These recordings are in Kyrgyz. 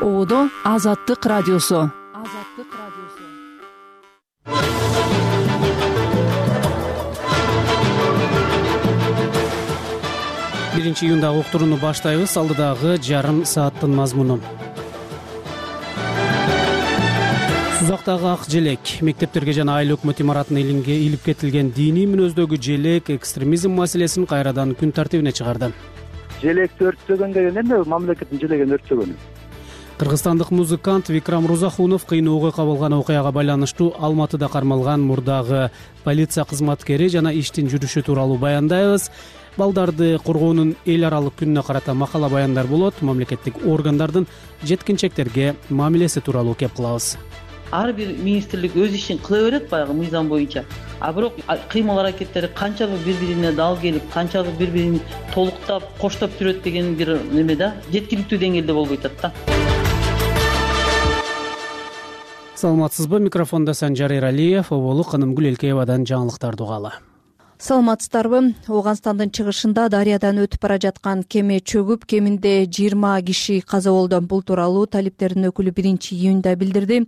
Оодо Азаттык радиосу. Биринчи июндагы уктурууну баштайбыз. Алдыдагы жарым сааттын мазмуну. Сузактагы ак желек. Мектептерге жана айыл өкмөт имаратына илип кетилген диний мүнөздөгү желек экстремизм маселесин кайрадан күн тартибине чыгарды. Желекти өрттөгөн деген эмне? Мамлекеттин желегин өрттөгөнү. Кыргызстандык музыкант Викрам Рузахунов кыйын окуя болгон окуяга байланыштуу Алматыда кармалган мурдагы полиция кызматкери жана иштин жүрүшү тууралуу баяндайбыз. Балдарды коргоонун эл аралык күнүнө карата макала баяндар болот. Мамлекеттик органдардын жеткинчектерге мамилеси тууралуу кеп кылабыз. Ар бир министрлик өз ишин кыла берет баягы мыйзам боюнча. А бирок кыймыл аракеттери канчалык бири-бирине дал келип, канчалык бири-бирин толуктап, коштоп жүрөт деген бир неме да, жеткиликтүү деңгээлде болбой атат да. Саламатсызбы? Микрофондо Санжар Эралиев, Оболу Канымгүл Элкеевадан жаңылыктарды угалы. Саламатсыздарбы? Ооганстандын чыгышында дарыядан өтүп бара жаткан кеме чөгүп, кеминде 20 киши каза болду. Бул тууралуу талиптердин өкүлү 1-июнда билдирди.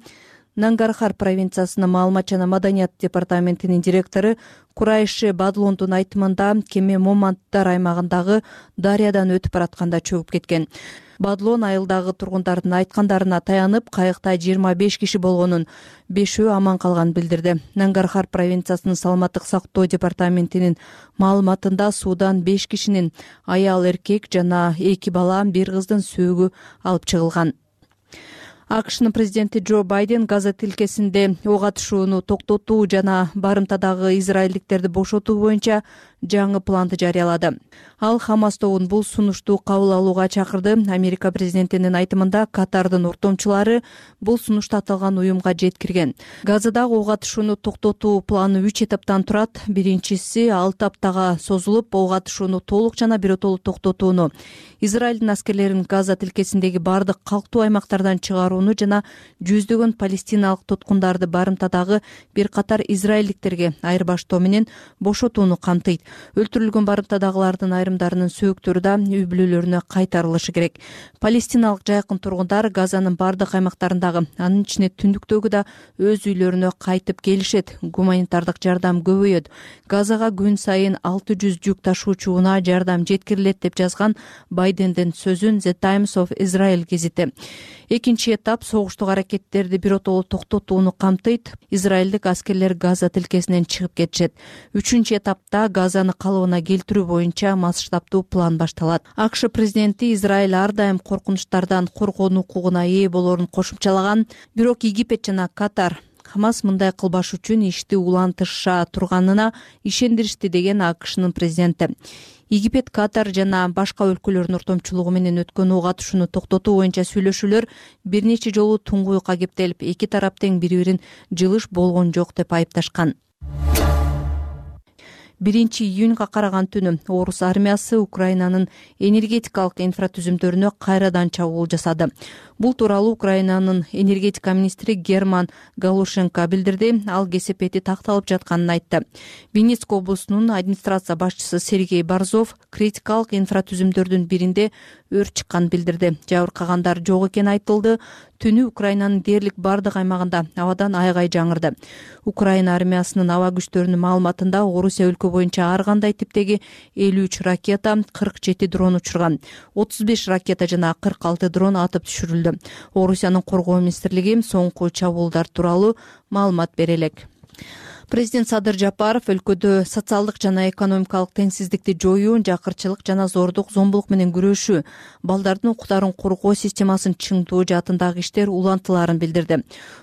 Нангархар провинциясынын маалымат жана маданият департаментинин директору Курайши Бадлондун айтымында кеме Моманттар аймагындагы дарыядан өтүп баратканда чөгүп кеткен. Бадлон айылдагы тургундардын айткандарына таянып, кайыкта 25 киши болгонун, 5-өө аман калганын билдирди. Нангархар провинциясынын саламаттык сактоо департаментинин маалыматында суудан 5 кишинин аял, эркек жана 2 бала, 1 кыздын сөөгү алып чыгылган. АКШнын президенти Джо Байден Газа тилкесинде ок атышууну токтотуу жана барымтадагы израилдиктерди бошотуу боюнча жаңы планды жарыялады. Ал Хамас тобун бул сунушту кабыл алууга чакырды. Америка президентинин айтымында Катардын ортомчулары бул сунушту аталган уюмга жеткирген. Газадагы ок атышууну токтотуу планы 3 этаптан турат. Биринчиси 6 аптага созулуп, ок атышууну толук жана биротолуу токтотууну, Израилдин аскерлерин Газа тилкесиндеги бардык калктуу аймактардан чыгарууну жана жүздөгөн палестиналык туткундарды барымтадагы бир катар израилдиктерге айырбаштоо менен бошотууну камтыйт. Өлтүрүлгөн барымтадагылардын айрымдарынын сөөктөрү да үй бүлөлөрүнө кайтарылышы керек. Палестиналык жайкын тургундар Газанын бардык аймактарындагы, анын ичине түндүктөгү да өз үйлөрүнө кайтып келишет. Гуманитардык жардам көбөйөт. Газага күн сайын 600 жүк ташуучу унаа жардам жеткирилет деп жазган Байдендин сөзүн The Times of Israel гезити. Экинчи этап согуштук аракеттерди биротолуу токтотууну камтыйт. Израилдик аскерлер Газа тилкесинен чыгып кетишет. Үчүнчү этапта Газаны калыбына келтирүү боюнча масштабдуу план башталат. АКШ президенти Израиль ар дайым коркунучтардан коргонуу укугуна ээ болоорун кошумчалаган. Бирок Египет жана Катар Хамас мындай кылбаш үчүн ишти улантыша турганына ишендиришти деген АКШнын президенти. Египет, Катар жана башка өлкөлөрдүн ортомчулугу менен өткөн ок атышууну токтотуу боюнча сүйлөшүүлөр бир нече жолу туңгуюкка кептелип, эки тарап тең бири-бирин жылыш болгон жок деп айыпташкан. 1-июнга караган түнү орус армиясы Украинанын энергетикалык инфратүзүмдөрүнө кайрадан чабуул жасады. Бул тууралуу Украинанын энергетика министри Герман Галушенко билдирди. Ал кесепети такталып жатканын айтты. Винницк облусунун администрация башчысы Сергей Борзов критикалык инфратүзүмдөрдүн биринде өрт чыкканын билдирди. Жабыркагандар жок экени айтылды. Түнү Украинанын дээрлик бардык аймагында абадан айгай жаңырды. Украина армиясынын аба күчтөрүнүн маалыматында Орусия өлкө боюнча ар кандай типтеги 53 ракета, 47 дрон учурган, 35 ракета жана 46 дрон атып түшүрүлдү. Орусиянын коргоо министрлиги соңку чабуулдар тууралуу маалымат бере элек. Президент Садыр Жапаров өлкөдө социалдык жана экономикалык теңсиздикти жоюу, жакырчылык жана зордук, зомбулук менен күрөшүү, балдардын укуктарын коргоо системасын чыңдоо жаатындагы иштер улантыларын билдирди.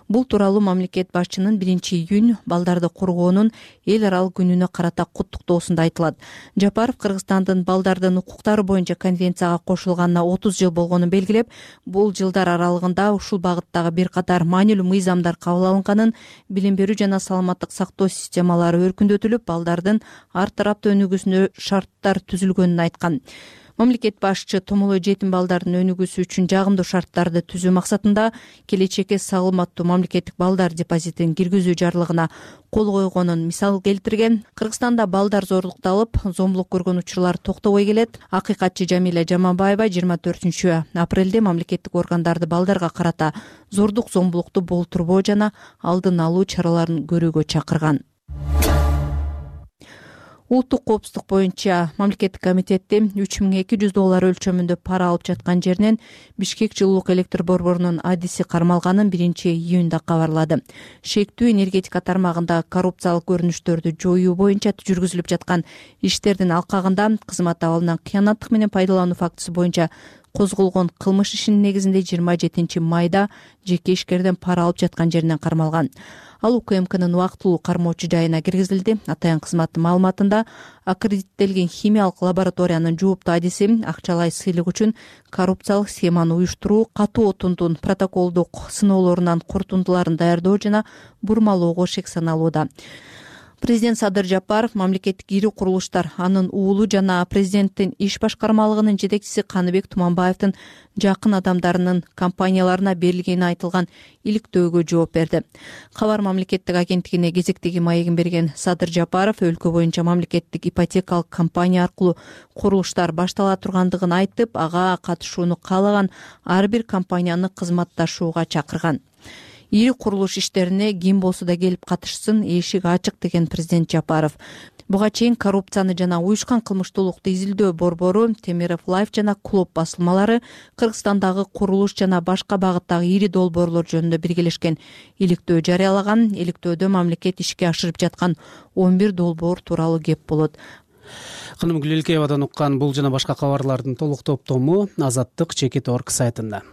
Бул тууралуу мамлекет башчынын 1-июнь балдарды коргоонун эл аралык күнүнө карата куттуктоосунда айтылат. Жапаров Кыргызстандын балдардын укуктары боюнча конвенцияга кошулганына 30 жыл болгонун белгилеп, бул жылдар аралыгында ушул багыттагы бир катар маанилүү мыйзамдар кабыл алынганын, билим берүү жана саламаттык сактоо системалары өркүндөтүлүп, балдардын ар тараптуу өнүгүүсүнө шарттар түзүлгөнүн айткан. Мамлекет башчы томолой жетим балдардын өнүгүүсү үчүн жагымдуу шарттарды түзүү максатында келечекке саламаттуу мамлекеттик балдар депозитин киргизүү жарлыгына кол койгонун мисал келтирген. Кыргызстанда балдар зордукталып, зомбулук көргөн учурлар токтобой келет. Акыйкатчы Жамиля Жаманбаева 24 апрелде мамлекеттик органдарды балдарга карата зордук зомбулукту болтурбоо жана алдын алуу чараларын көрүүгө чакырган. Улуттук коопсуздук боюнча мамлекеттик комитетти $3200 өлчөмүндө пара алып жаткан жеринен Бишкек жылуулук электр борборунун адиси кармалганын 1-июнда кабарлады. Шектүү энергетика тармагында коррупциялык көрүнүштөрдү жоюу боюнча жүргүзүлүп жаткан иштердин алкагында кызмат абалынан кыянаттык менен пайдалануу фактысы боюнча козголгон кылмыш ишинин негизинде 27 майда жеке ишкерден пара алып жаткан жеринен кармалган. Ал УКМКнын убактылуу кармоочу жайына киргизилди. Атайын кызматтын маалыматында аккредиттелген химиялык лабораториянын жооптуу адиси акчалай сыйлык үчүн коррупциялык схеманы уюштуруу, катуу отундун протоколдук сыноолорунан корутундуларын даярдоо жана бурмалоого шек саналууда. Президент Садыр Жапаров мамлекеттик ири курулуштар, анын уулу жана президенттин иш башкармалыгынын жетекчиси Каныбек Туманбаевдин жакын адамдарынын компанияларына берилгени айтылган иликтөөгө жооп берди. Кабар мамлекеттик агенттигине кезектеги маегин берген Садыр Жапаров өлкө боюнча мамлекеттик ипотекалык компания аркылуу курулуштар баштала тургандыгын айтып, ага катышууну каалаган ар бир компанияны кызматташууга чакырган. Ири курулуш иштерине ким болсо да келип катышсын, эшик ачык деген президент Жапаров. Буга чейин коррупцияны жана уюшкан кылмыштуулукту изилдөө борбору, Темиров Лайф жана Клуб басылмалары Кыргызстандагы курулуш жана башка багыттагы ири долбоорлор жөнүндө биргелешкен иликтөө жарыялаган. Иликтөөдө мамлекет ишке ашырып жаткан 11 долбоор тууралуу кеп болот. Каным Гүлелкеевадан уккан бул жана башка кабарлардын толук топтому Азаттык Чекит.org сайтында.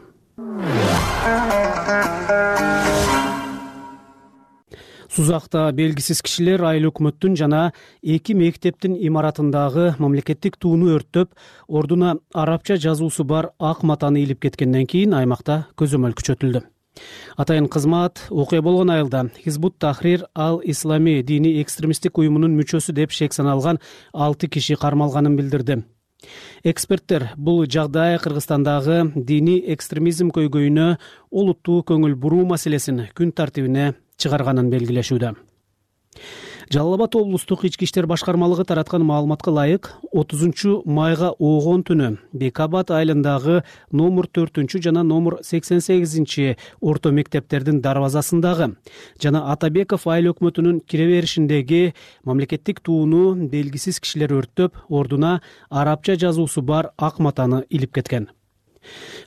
Сузакта белгисиз кишилер айыл өкмөттүн жана 2 мектептин имаратындагы мамлекеттик тууну өрттөп, ордуна арабча жазуусу бар ак матаны илип кеткенден кийин аймакта көзөмөл күчөтүлдү. Атайын кызмат окуя болгон айылда Хизбут Тахрир Ал-Ислами диний экстремисттик уюмунун мүчөсү деп шек саналган 6 киши кармалганын билдирди. Эксперттер бул жагдай Кыргызстандагы диний экстремизм көйгөйүнө олуттуу көңүл буруу маселесин күн тартибине чыгарганын белгилешүүдө. Жалал Абад облустук ички иштер башкармалыгы тараткан маалыматка ылайык, 30 майга оогон түнү Бекабад айылындагы номер 4 жана номер 88 орто мектептердин дарбазасындагы жана Атабеков айыл өкмөтүнүн кире беришиндеги мамлекеттик тууну белгисиз кишилер өрттөп, ордуна арабча жазуусу бар ак матаны илип кеткен.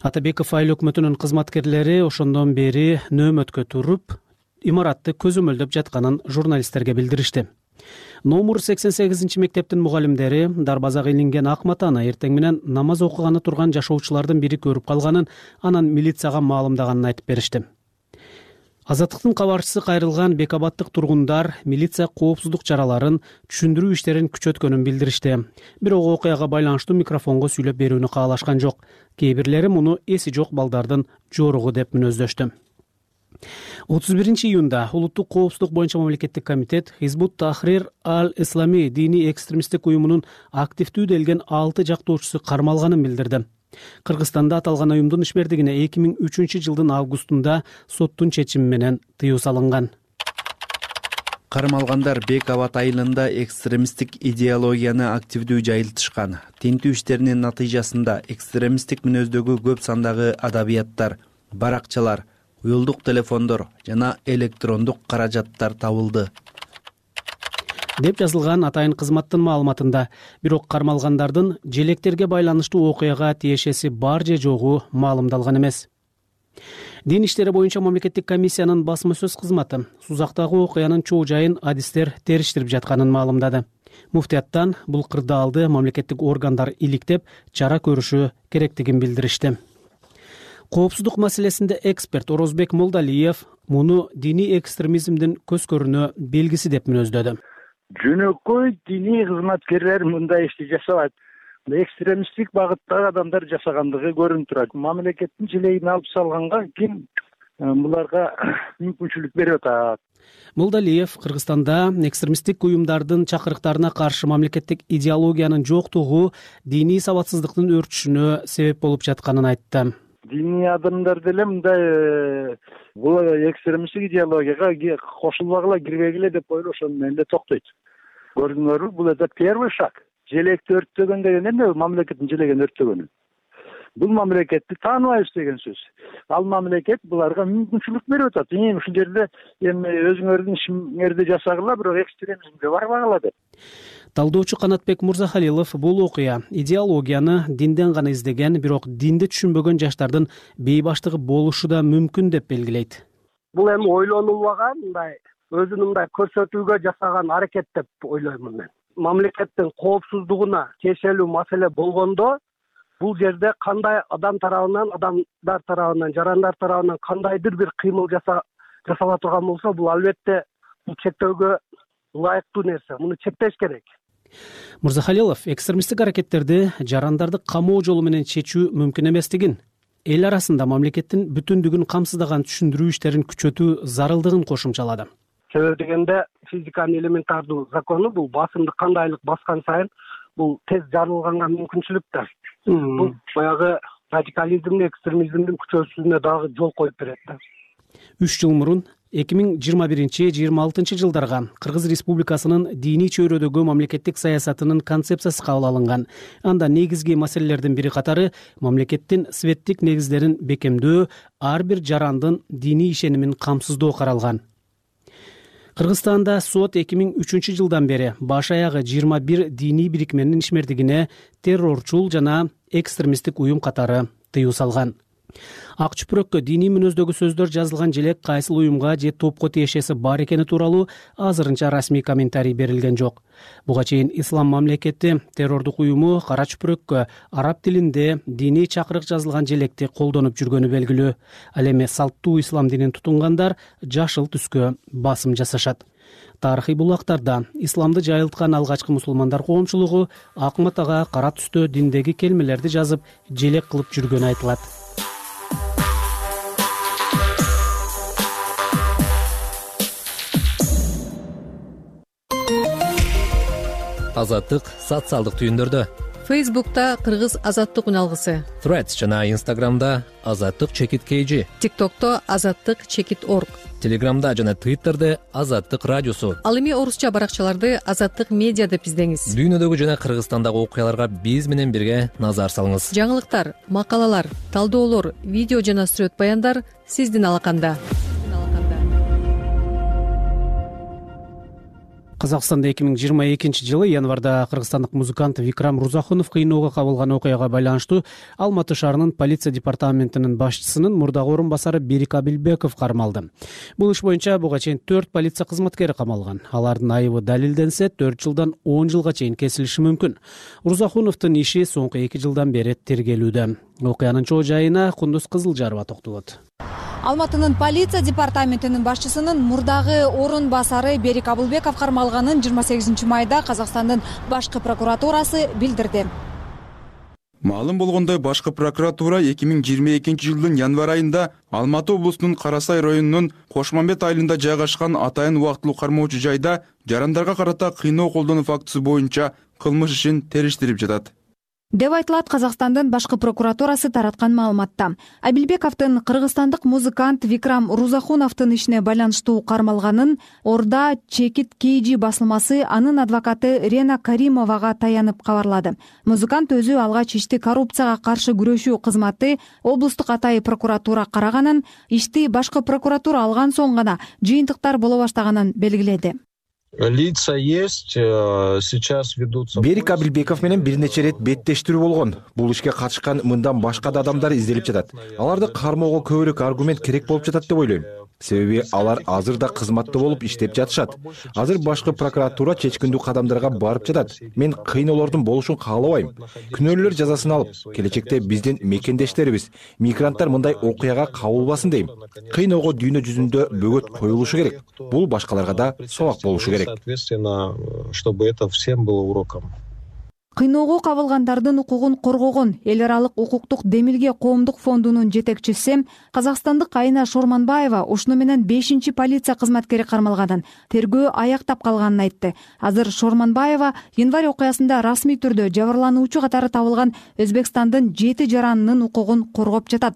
Атабеков айыл өкмөтүнүн кызматкерлери ошондон бери нөөмөткө туруп, имаратты көзөмөлдөп жатканын журналисттерге билдиришти. Номер 88 мектептин мугалимдери дарбазага илинген ак матаны эртең менен намаз окуганы турган жашоочулардын бири көрүп калганын, анан милицияга маалымдаганын айтып беришти. Азаттыктын кабарчысы кайрылган Бекабаттык тургундар милиция коопсуздук чараларын түшүндүрүү иштерин күчөткөнүн билдиришти. Бирок окуяга байланыштуу микрофонго сүйлөп берүүнү каалашкан жок. Кээ бирлери муну эси жок балдардын жоругу деп мүнөздөштү. 31 июнда Улуттук коопсуздук боюнча мамлекеттик комитет Хизбут Тахрир Ал-Ислами диний экстремисттик уюмунун активдүү делген 6 жактоочусу кармалганын билдирди. Кыргызстанда аталган уюмдун ишмердигине 2003 жылдын августунда соттун чечими менен тыюу салынган. Кармалгандар Бекабад айылында экстремисттик идеологияны активдүү жайылтышкан. Тинтүү иштеринин натыйжасында экстремисттик мүнөздөгү көп сандагы адабияттар, баракчалар, уюлдук телефондор жана электрондук каражаттар табылды деп жазылган атайын кызматтын маалыматында. Бирок кармалгандардын желектерге байланыштуу окуяга тиешеси бар же жогу маалымдалган эмес. Дин иштери боюнча мамлекеттик комиссиянын басма сөз кызматы Сузактагы окуянын чоо жайын адистер териштирип жатканын маалымдады. Муфтияттан бул кырдаалды мамлекеттик органдар иликтеп, чара көрүшү керектигин билдиришти. Коопсуздук маселесинде эксперт Орозбек Молдалиев муну диний экстремизмдин көзкөрүнө белгиси деп мүнөздөдө. Жөнөкөй диний кызматкерлер мындай ишти жасабайт. Экстремисттик багыттагы адамдар жасагандыгы көрүнүп турат. Мамлекеттин желегин алып салганга ким буларга мүмкүнчүлүк берип атат. Молдалиев Кыргызстанда экстремисттик уюмдардын чакырыктарына каршы мамлекеттик идеологиянын жоктугу диний сабатсыздыктын өрчүшүнө себеп болуп жатканын айтты. Диний адамдар деле мындай бул экстремисттик идеологияга кошулбагыла, кирбегиле деп ойлошом мен эле токтойт. Көрдүңөрбү, бул это первый шаг. Желекти өрттөгөн деген эмне? Мамлекеттин желеген өрттөгөнү. Бул мамлекетти тааныбайбыз деген сөз. Ал мамлекет буларга мүмкүнчүлүк берип атат. Ушул жерде эми өзүңөрдүн ишиңерди жасагыла, бирок экстремизмге барбагыла деп. Талдоочу Канатбек Мурзахалилов бул окуя идеологияны динден гана издеген, бирок динди түшүнбөгөн жаштардын бейбаштыгы болушу да мүмкүн деп белгилейт. Бул эми ойлонулбаган, мындай өзүн мындай көрсөтүүгө жасаган аракет деп ойлоймун мен. Мамлекеттин коопсуздугуна тиешелүү маселе болгондо бул жерде кандай адам тарабынан, адамдар тарабынан, жарандар тарабынан кандайдыр бир кыймыл жасала турган болсо, бул албетте бул чектөөгө ылайыктуу нерсе. Муну чектеш керек. Мурзахалилов экстремисттик аракеттерди жарандарды камоо жолу менен чечүү мүмкүн эместигин, эл арасында мамлекеттин бүтүндүгүн камсыздаган түшүндүрүү иштерин күчөтүү зарылдыгын кошумчалады. Себеби дегенде физиканын элементардуу закону бул басымды кандайлык баскан сайын бул тез жарылганга мүмкүнчүлүк да. Бул баягы радикализмдин, экстремизмдин күчөсүнө дагы жол коюп берет да. 3 жыл мурун 2021-26 жылдарга Кыргыз Республикасынын диний чөйрөдөгү мамлекеттик саясатынын концепциясы кабыл алынган. Анда негизги маселелердин бири катары мамлекеттин светтик негиздерин бекемдөө, ар бир жарандын диний ишенимин камсыздоо каралган. Кыргызстанда сот 2003 жылдан бери баш аягы 21 диний бирикменин ишмердигине террорчул жана экстремисттик уюм катары тыюу салган. Ак чүпүрөккө диний мүнөздөгү сөздөр жазылган желек кайсыл уюмга же топко тиешеси бар экени тууралуу азырынча расмий комментарий берилген жок. Буга чейин Ислам мамлекети террордук уюму кара чүпүрөккө араб тилинде диний чакырык жазылган желекти колдонуп жүргөнү белгилүү. Ал эми салттуу ислам динин тутунгандар жашыл түскө басым жасашат. Тарыхый булактарда исламды жайылткан алгачкы мусулмандар коомчулугу ак матага кара түстө диндеги келмелерди жазып желек кылып жүргөнү айтылат. Азаттык социалдык түйүндөрдө. Фейсбукта Кыргыз азаттык үналгысы. Threads жана Instagramда азаттык чекит KG. TikTokто азаттык чекит org. Телеграмда жана Twitterде азаттык радиосу. Ал эми орусча баракчаларды азаттык медиа деп издеңиз. Дүйнөдөгү жана Кыргызстандагы окуяларга биз менен бирге назар салыңыз. Жаңылыктар, макалалар, талдоолор, видео жана сүрөт баяндар сиздин алаканда. Казакстанда 2022 жылы январда кыргызстандык музыкант Викрам Рузахунов кыйноого кабылган окуяга байланыштуу Алматы шаарынын полиция департаментинин башчысынын мурдагы орун басары Берик Абилбеков кармалды. Бул иш боюнча буга чейин 4 полиция кызматкери камалган. Алардын айыбы далилденсе 4 жылдан 10 жылга чейин кесилиши мүмкүн. Рузахуновдун иши соңку 2 жылдан бери тергелүүдө. Окуянын чоо жайына Кундуз Кызылжарова токтолот. Алматынын полиция департаментинин башчысынын мурдагы орун басары Берик Абилбеков кармалганын 28 майда Казакстандын башкы прокуратурасы билдирди. Маалым болгондой, башкы прокуратура 2022 жылдын январь айында Алматы облусунун Карасай районунун Кошмамбет айылында жайгашкан атайын убактылуу кармоочу жайда жарандарга карата кыйноо колдонуу фактысы боюнча кылмыш ишин териштирип жатат деп айтылат Казакстандын башкы прокуратурасы тараткан маалыматта. Абилбековдун кыргызстандык музыкант Викрам Рузахуновдун ишине байланыштуу кармалганын Орда Чекит KG басылмасы анын адвокаты Рена Каримовага таянып кабарлады. Музыкант өзү алгач ишти коррупцияга каршы күрөшүү кызматы облустук атайын прокуратура караганын, ишти башкы прокуратура алган соң гана жыйынтыктар боло баштаганын белгиледи. Лица есть, сейчас ведутся. Берик Абилбеков менен бир нече ирет беттештирүү болгон. Бул ишке катышкан мындан башка да адамдар изделип жатат. Аларды кармоого көбүрөөк аргумент керек болуп жатат деп ойлойм. Себеби алар азыр да кызматта болуп иштеп жатышат. Азыр башкы прокуратура чечкиндүү кадамдарга барып жатат. Мен кыйноолордун болушун каалабайм. Күнөөлөр жазасын алып, келечекте биздин мекендештерибиз, мигранттар мындай окуяга кабылбасын дейм. Кыйноого дүйнө жүзүндө бөгөт коюлушу керек. Бул башкаларга да сабак болушу керек. Соответственно, чтобы это всем было уроком. кыйноого кабылгандардын укугун коргогон эл аралык укуктук демилге коомдук фондунун жетекчиси казакстандык Айна Шорманбаева ушуну менен 5 полиция кызматкери кармалганын, тергөө аяктап калганын айтты. Азыр Шорманбаева январь окуясында расмий түрдө жабырлануучу катары табылган Өзбекстандын 7 жаранынын укугун коргоп жатат.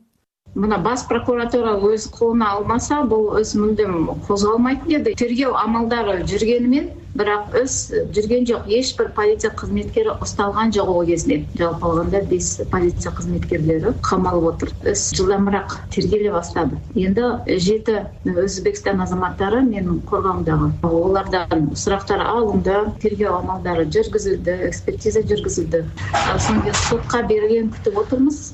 Мына бас прокуратура өз колуна алмаса, бул өз мындым козголмайт деди. Тергөө амалдары жүргөнүмен, бирок өз жүргөн жок. Эч бир полиция кызметкери укталган жок ол кезде. Жалпы алганда 5 полиция кызметкерлери камалып отур. Өз жылдамыраак тергеле баштады. Эndi 7 Өзбекстан азаматтары менин коргоомдогу. Олардан сурактар алынды, тергөө амалдары жүргүзүлдү, экспертиза жүргүзүлдү. Соң сотко берген күтүп отурмуз.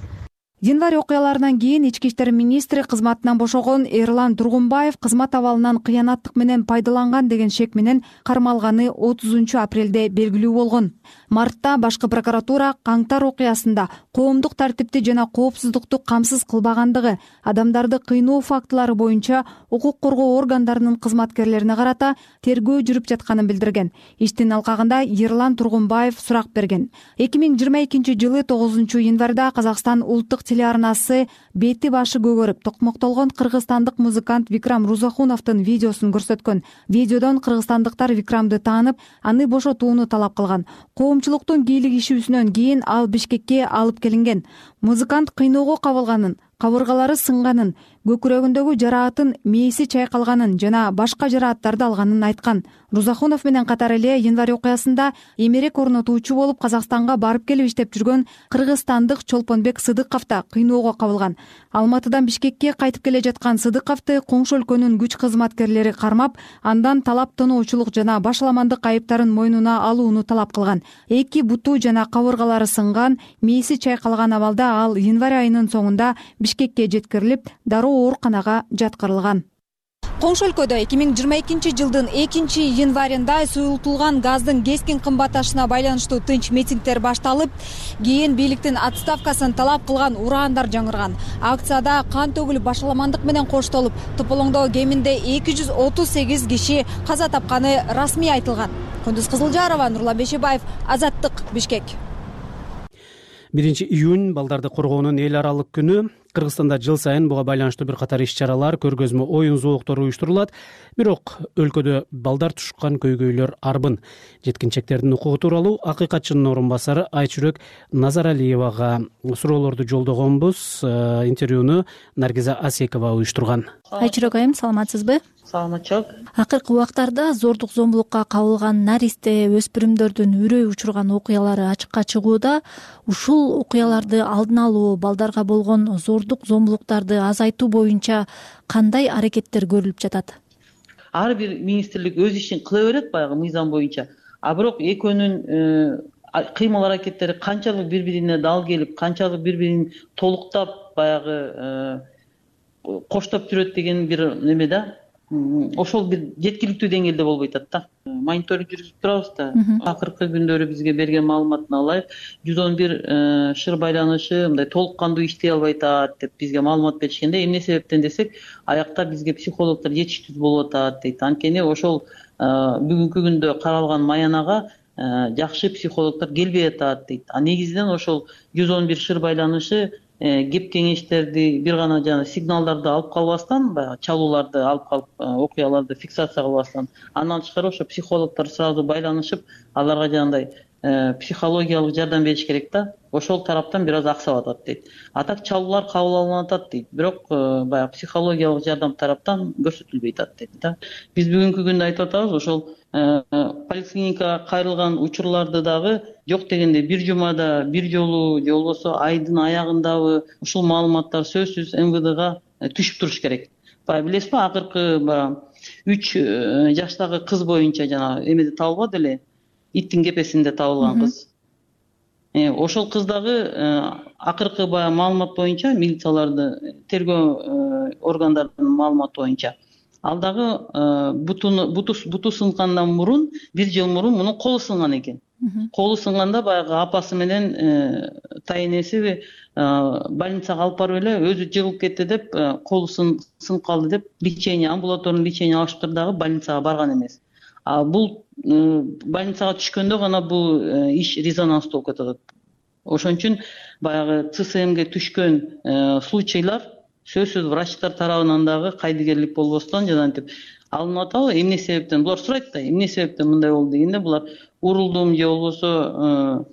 Январь окуяларынан кийин Ички иштер министри кызматынан бошогон Эрлан Тургунбаев кызмат абалынан кыянаттык менен пайдаланган деген шек менен кармалганы 30 апрелде белгилүү болгон. Мартта башкы прокуратура Каңтар окуясында коомдук тартипти жана коопсуздукту камсыз кылбагандыгы, адамдарды кыйноо фактылары боюнча укук коргоо органдарынын кызматкерлерине карата тергөө жүрүп жатканын билдирген. Иштин алкагында Эрлан Тургунбаев сурак берген. 2022 жылы 9 январда Казакстан улуттук телеарнасы бети башы көгөрүп токмоктолгон кыргызстандык музыкант Викрам Рузахуновдун видеосун көрсөткөн. Видеодон кыргызстандыктар Викрамды таанып, аны бошотууну талап кылган. Коомчулуктун кийлигишүүсүнөн кийин ал Бишкекке алып келинген. Музыкант кыйноого кабылганын, кабыргалары сынганын, көкүрөгүндөгү жараатын мээси чайкалганын жана башка жарааттарды алганын айткан. Рузахунов менен катар эле январь окуясында эмерек орнотуучу болуп Казакстанга барып келип иштеп жүргөн кыргызстандык Чолпонбек Сыдыков да кыйноого кабылган. Алматыдан Бишкекке кайтып келе жаткан Сыдыковду коңшу өлкөнүн күч кызматкерлери кармап, андан талап тоноочулук жана башаламандык айыптарын мойнуна алууну талап кылган. Эки буту жана кабыргалары сынган, мээси чайкалган абалда ал январь айынын соңунда Бишкекке жеткирилип, дароо ооруканага жаткырылган. Коңшу өлкөдө 2022 жылдын 2 январында суюлтулган газдын кескин кымбатташына байланыштуу тынч митингдер башталып, кийин бийликтин отставкасын талап кылган ураандар жаңырган. Акцияда кан төгүлүп, башаламандык менен коштолуп, тополоңдо кеминде 238 киши каза тапканы расмий айтылган. Кундуз Кызылжарова, Нурлан Бешебаев, Азаттык, Бишкек. 1 июнь балдарды коргоонун эл аралык күнү. Кыргызстанда жыл сайын буга байланыштуу бир катар иш-чаралар, көргөзмө оюн зооктору уюштурулат. Бирок өлкөдө балдар тушкан көйгөйлөр арбын. Жеткинчектердин укугу тууралуу акыйкатчынын орун басары Айчүрөк Назаралиевага суроолорду жолдогонбуз. Интервьюну Наргиза Асекова уюштурган. Айчүрөк айым, саламатсызбы? Саламатчылык. Акыркы убактарда зордук зомбулукка кабылган наристе өспүрүмдөрдүн үрөй учурган окуялары ачыкка чыгууда. Ушул окуяларды алдын алуу, балдарга болгон зордук зомбулуктарды азайтуу боюнча кандай аракеттер көрүлүп жатат? Ар бир министрлик өз ишин кыла берет баягы мыйзам боюнча. А бирок экөөнүн кыймыл аракеттери канчалык бири-бирине дал келип, канчалык бири-бирин толуктап баягы коштоп жүрөт деген бир неме да. Ошол бир жеткиликтүү деңгээлде болбой атат да. Мониторинг жүргүзүп турабыз да. Акыркы күндөрү бизге берген маалыматын алайык. 111 шыр байланышы мындай толук кандуу иштей албай атат деп бизге маалымат беришкенде, эмне себептен десек, аякта бизге психологдор жетиштүү болуп атат дейт. Анткени ошол бүгүнкү күндө каралган маянага жакшы психологдор келбей атат дейт. А негизинен ошол 111 шыр байланышы кеп кеңештерди, бир гана жана сигналдарды алып калбастан, баягы чалууларды алып калып, окуяларды фиксация кылбастан, андан тышкары ошо психологдор сразу байланышып, аларга жанагындай психологиялык жардам бериш керек да. Ошол тараптан бир аз аксап атат дейт. А так чалуулар кабыл алынып атат дейт. Бирок баягы психологиялык жардам тараптан көрсөтүлбөй атат дейт да. Биз бүгүнкү күндө айтып атабыз, ошол поликлиникага кайрылган учурларды дагы жок дегенде бир жумада бир жолу же болбосо айдын аягындабы ушул маалыматтар сөзсүз МВДга түшүп туруш керек. Баягы билесизби, акыркы 3 жаштагы кыз боюнча жана эмеде табылбады эле, иттин кепесинде табылган кыз. Ошол кыз дагы акыркы баягы маалымат боюнча, милицияларды тергөө органдарынын маалыматы боюнча, ал дагы буту сынгандан мурун, бир жыл мурун мунун колу сынган экен. Колу сынганда баягы апасы менен тайенеси больницага алып барып эле, өзү жыгылып кетти деп, колу сынып калды деп лечение, амбулаторный лечение алышыптыр дагы больницага барган эмес. бул больницага түшкөндө гана бул иш резонанстуу болуп кетип атат. Ошон үчүн баягы ЦСМге түшкөн случайлар сөзсүз врачтар тарабынан дагы кайдыгерлик болбостон жанагынтип алынып атабы, эмне себептен булар сурайт да, эмне себептен мындай болду дегенде булар урулдум же болбосо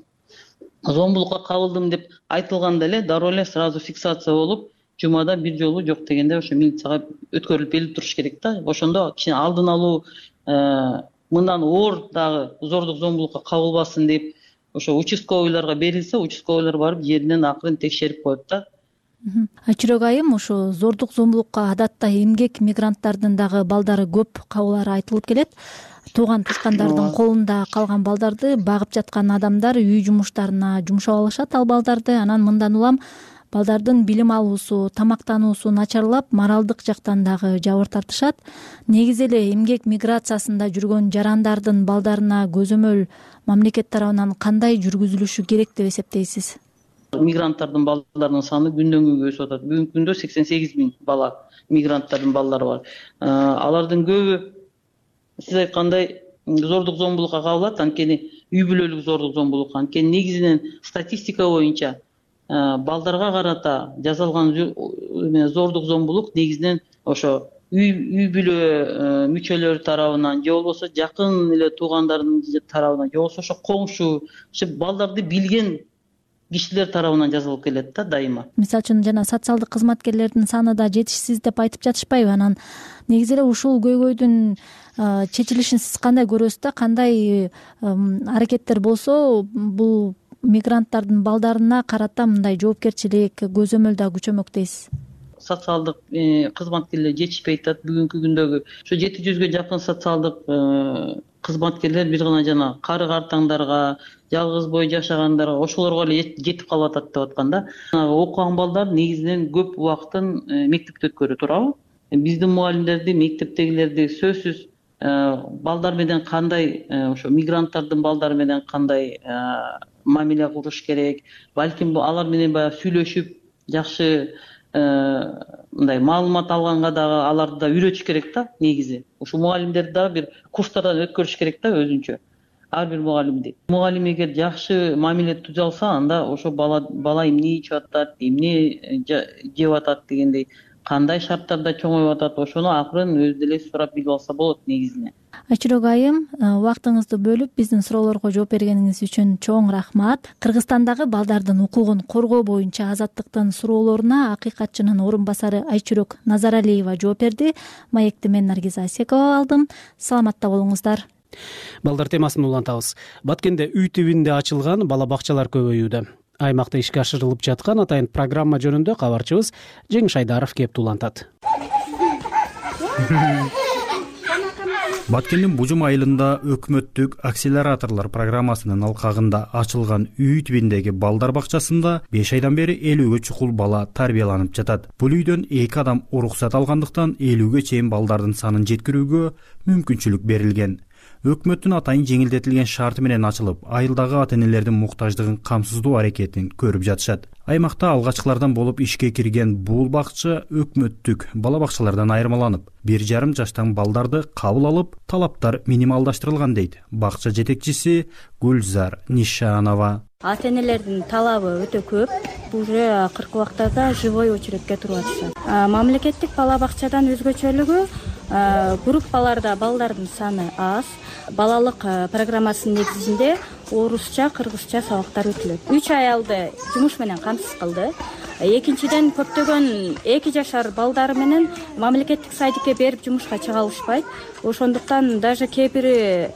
зомбулукка кабылдым деп айтылганда эле дароо эле сразу фиксация болуп, жумада бир жолу жок дегенде ошо милицияга өткөрүлүп берилип туруш керек да. Ошондо кичине алдын алуу, мындан оор дагы зордук зомбулукка кабылбасын деп ошо участковыйларга берилсе, участковыйлар барып жеринен акырын текшерип коет да. Айчүрөк айым, ошо зордук зомбулукка адатта эмгек мигранттардын дагы балдары көп кабылары айтылып келет. Тууган тушкандардын колунда калган балдарды багып жаткан адамдар үй жумуштарына жумшап алышат ал балдарды. Анан мындан улам балдардын билим алуусу, тамактануусу начарлап, моралдык жактан дагы жабыр тартышат. Негизи эле эмгек миграциясында жүргөн жарандардын балдарына көзөмөл мамлекет тарабынан кандай жүргүзүлүшү керек деп эсептейсиз? Мигранттардын балдарынын саны күндөн күнгө өсүп атат. Бүгүнкү күндө 88 000 бала, мигранттардын балдары бар. Алардын көбү сиз айткандай зордук зомбулукка кабылат, анткени үй бүлөлүк зордук зомбулук. Анткени негизинен статистика боюнча балдарга карата жасалган зордук зомбулук негизинен ошо үй бүлө мүчөлөрү тарабынан же болбосо жакын эле туугандардын тарабынан же болбосо ошо коңшу, балдарды билген кишилер тарабынан жасалып келет да дайыма. Мисалы үчүн жана социалдык кызматкерлердин саны да жетишсиз деп айтып жатышпайбы? Анан негизи эле ушул көйгөйдүн чечилишин сиз кандай көрөсүз да? Кандай аракеттер болсо бул мигранттардын балдарына карата мындай жоопкерчилик, көзөмөл да күчөмөк дейсиз? Социалдык кызматкерлер жетишпей атат бүгүнкү күндөгү. Ошо 700ге жакын социалдык кызматкерлер бир гана жана кары картаңдарга, жалгыз бой жашагандарга, ошолорго эле жетип калып атат деп аткан да. Окуган балдар негизинен көп убактын мектепте өткөрүп турабы? Биздин мугалимдерди, мектептегилерди сөзсүз балдар менен кандай, ошо мигранттардын балдары менен кандай мамиле кылыш керек, балким алар менен баягы сүйлөшүп, жакшы мындай маалымат алганга дагы аларды да үйрөтүш керек да негизи. Ушул мугалимдерди дагы бир курстардан өткөрүш керек да өзүнчө. Ар бир мугалимди. Мугалим эгер жакшы мамиле түзө алса, анда ошо бала эмне ичип атат, эмне жеп атат дегендей, кандай шарттарда чоңоюп атат, ошону акырын өзү деле сурап билип алса болот негизинен. Айчүрөк айым, убактыңызды бөлүп биздин суроолорго жооп бергениңиз үчүн чоң рахмат. Кыргызстандагы балдардын укугун коргоо боюнча Азаттыктын суроолоруна акыйкатчынын орун басары Айчүрөк Назаралиева жооп берди. Маекти мен Наргиза Асекова алдым. Саламатта болуңуздар. Балдар темасын улантабыз. Баткенде үй тибинде ачылган бала бакчалар көбөйүүдө. Аймакта ишке ашырылып жаткан атайын программа жөнүндө кабарчыбыз Жеңиш Айдаров кеп улантат. Баткендин Бужум айылында өкмөттүк акселераторлор программасынын алкагында ачылган үй тибиндеги балдар бакчасында 5 айдан бери 50ге чукул бала тарбияланып жатат. Бул үйдөн 2 адам уруксат алгандыктан 50ге чейин балдардын санын жеткирүүгө мүмкүнчүлүк берилген. Өкмөттүн атайын жеңилдетилген шарты менен ачылып, айылдагы ата-энелердин муктаждыгын камсыздоо аракетин көрүп жатышат. Аймакта алгачкылардан болуп ишке кирген бул бакча өкмөттүк бала бакчалардан айырмаланып, 1,5 жаштан балдарды кабыл алып, талаптар минималдаштырылган дейт бакча жетекчиси Гүлзар Нишанова. Ата-энелердин талабы өтө көп. Уже акыркы убактарда живой очередке туруп атышат. Мамлекеттик бала бакчадан өзгөчөлүгү группаларда балдардын саны аз. Балалык программасынын негизинде орусча, кыргызча сабактар өтүлөт. 3 аялды жумуш менен камсыз кылды. Экинчиден көптөгөн 2 жашар балдары менен мамлекеттик садикке берип жумушка чыга алышпайт. Ошондуктан даже кээ бири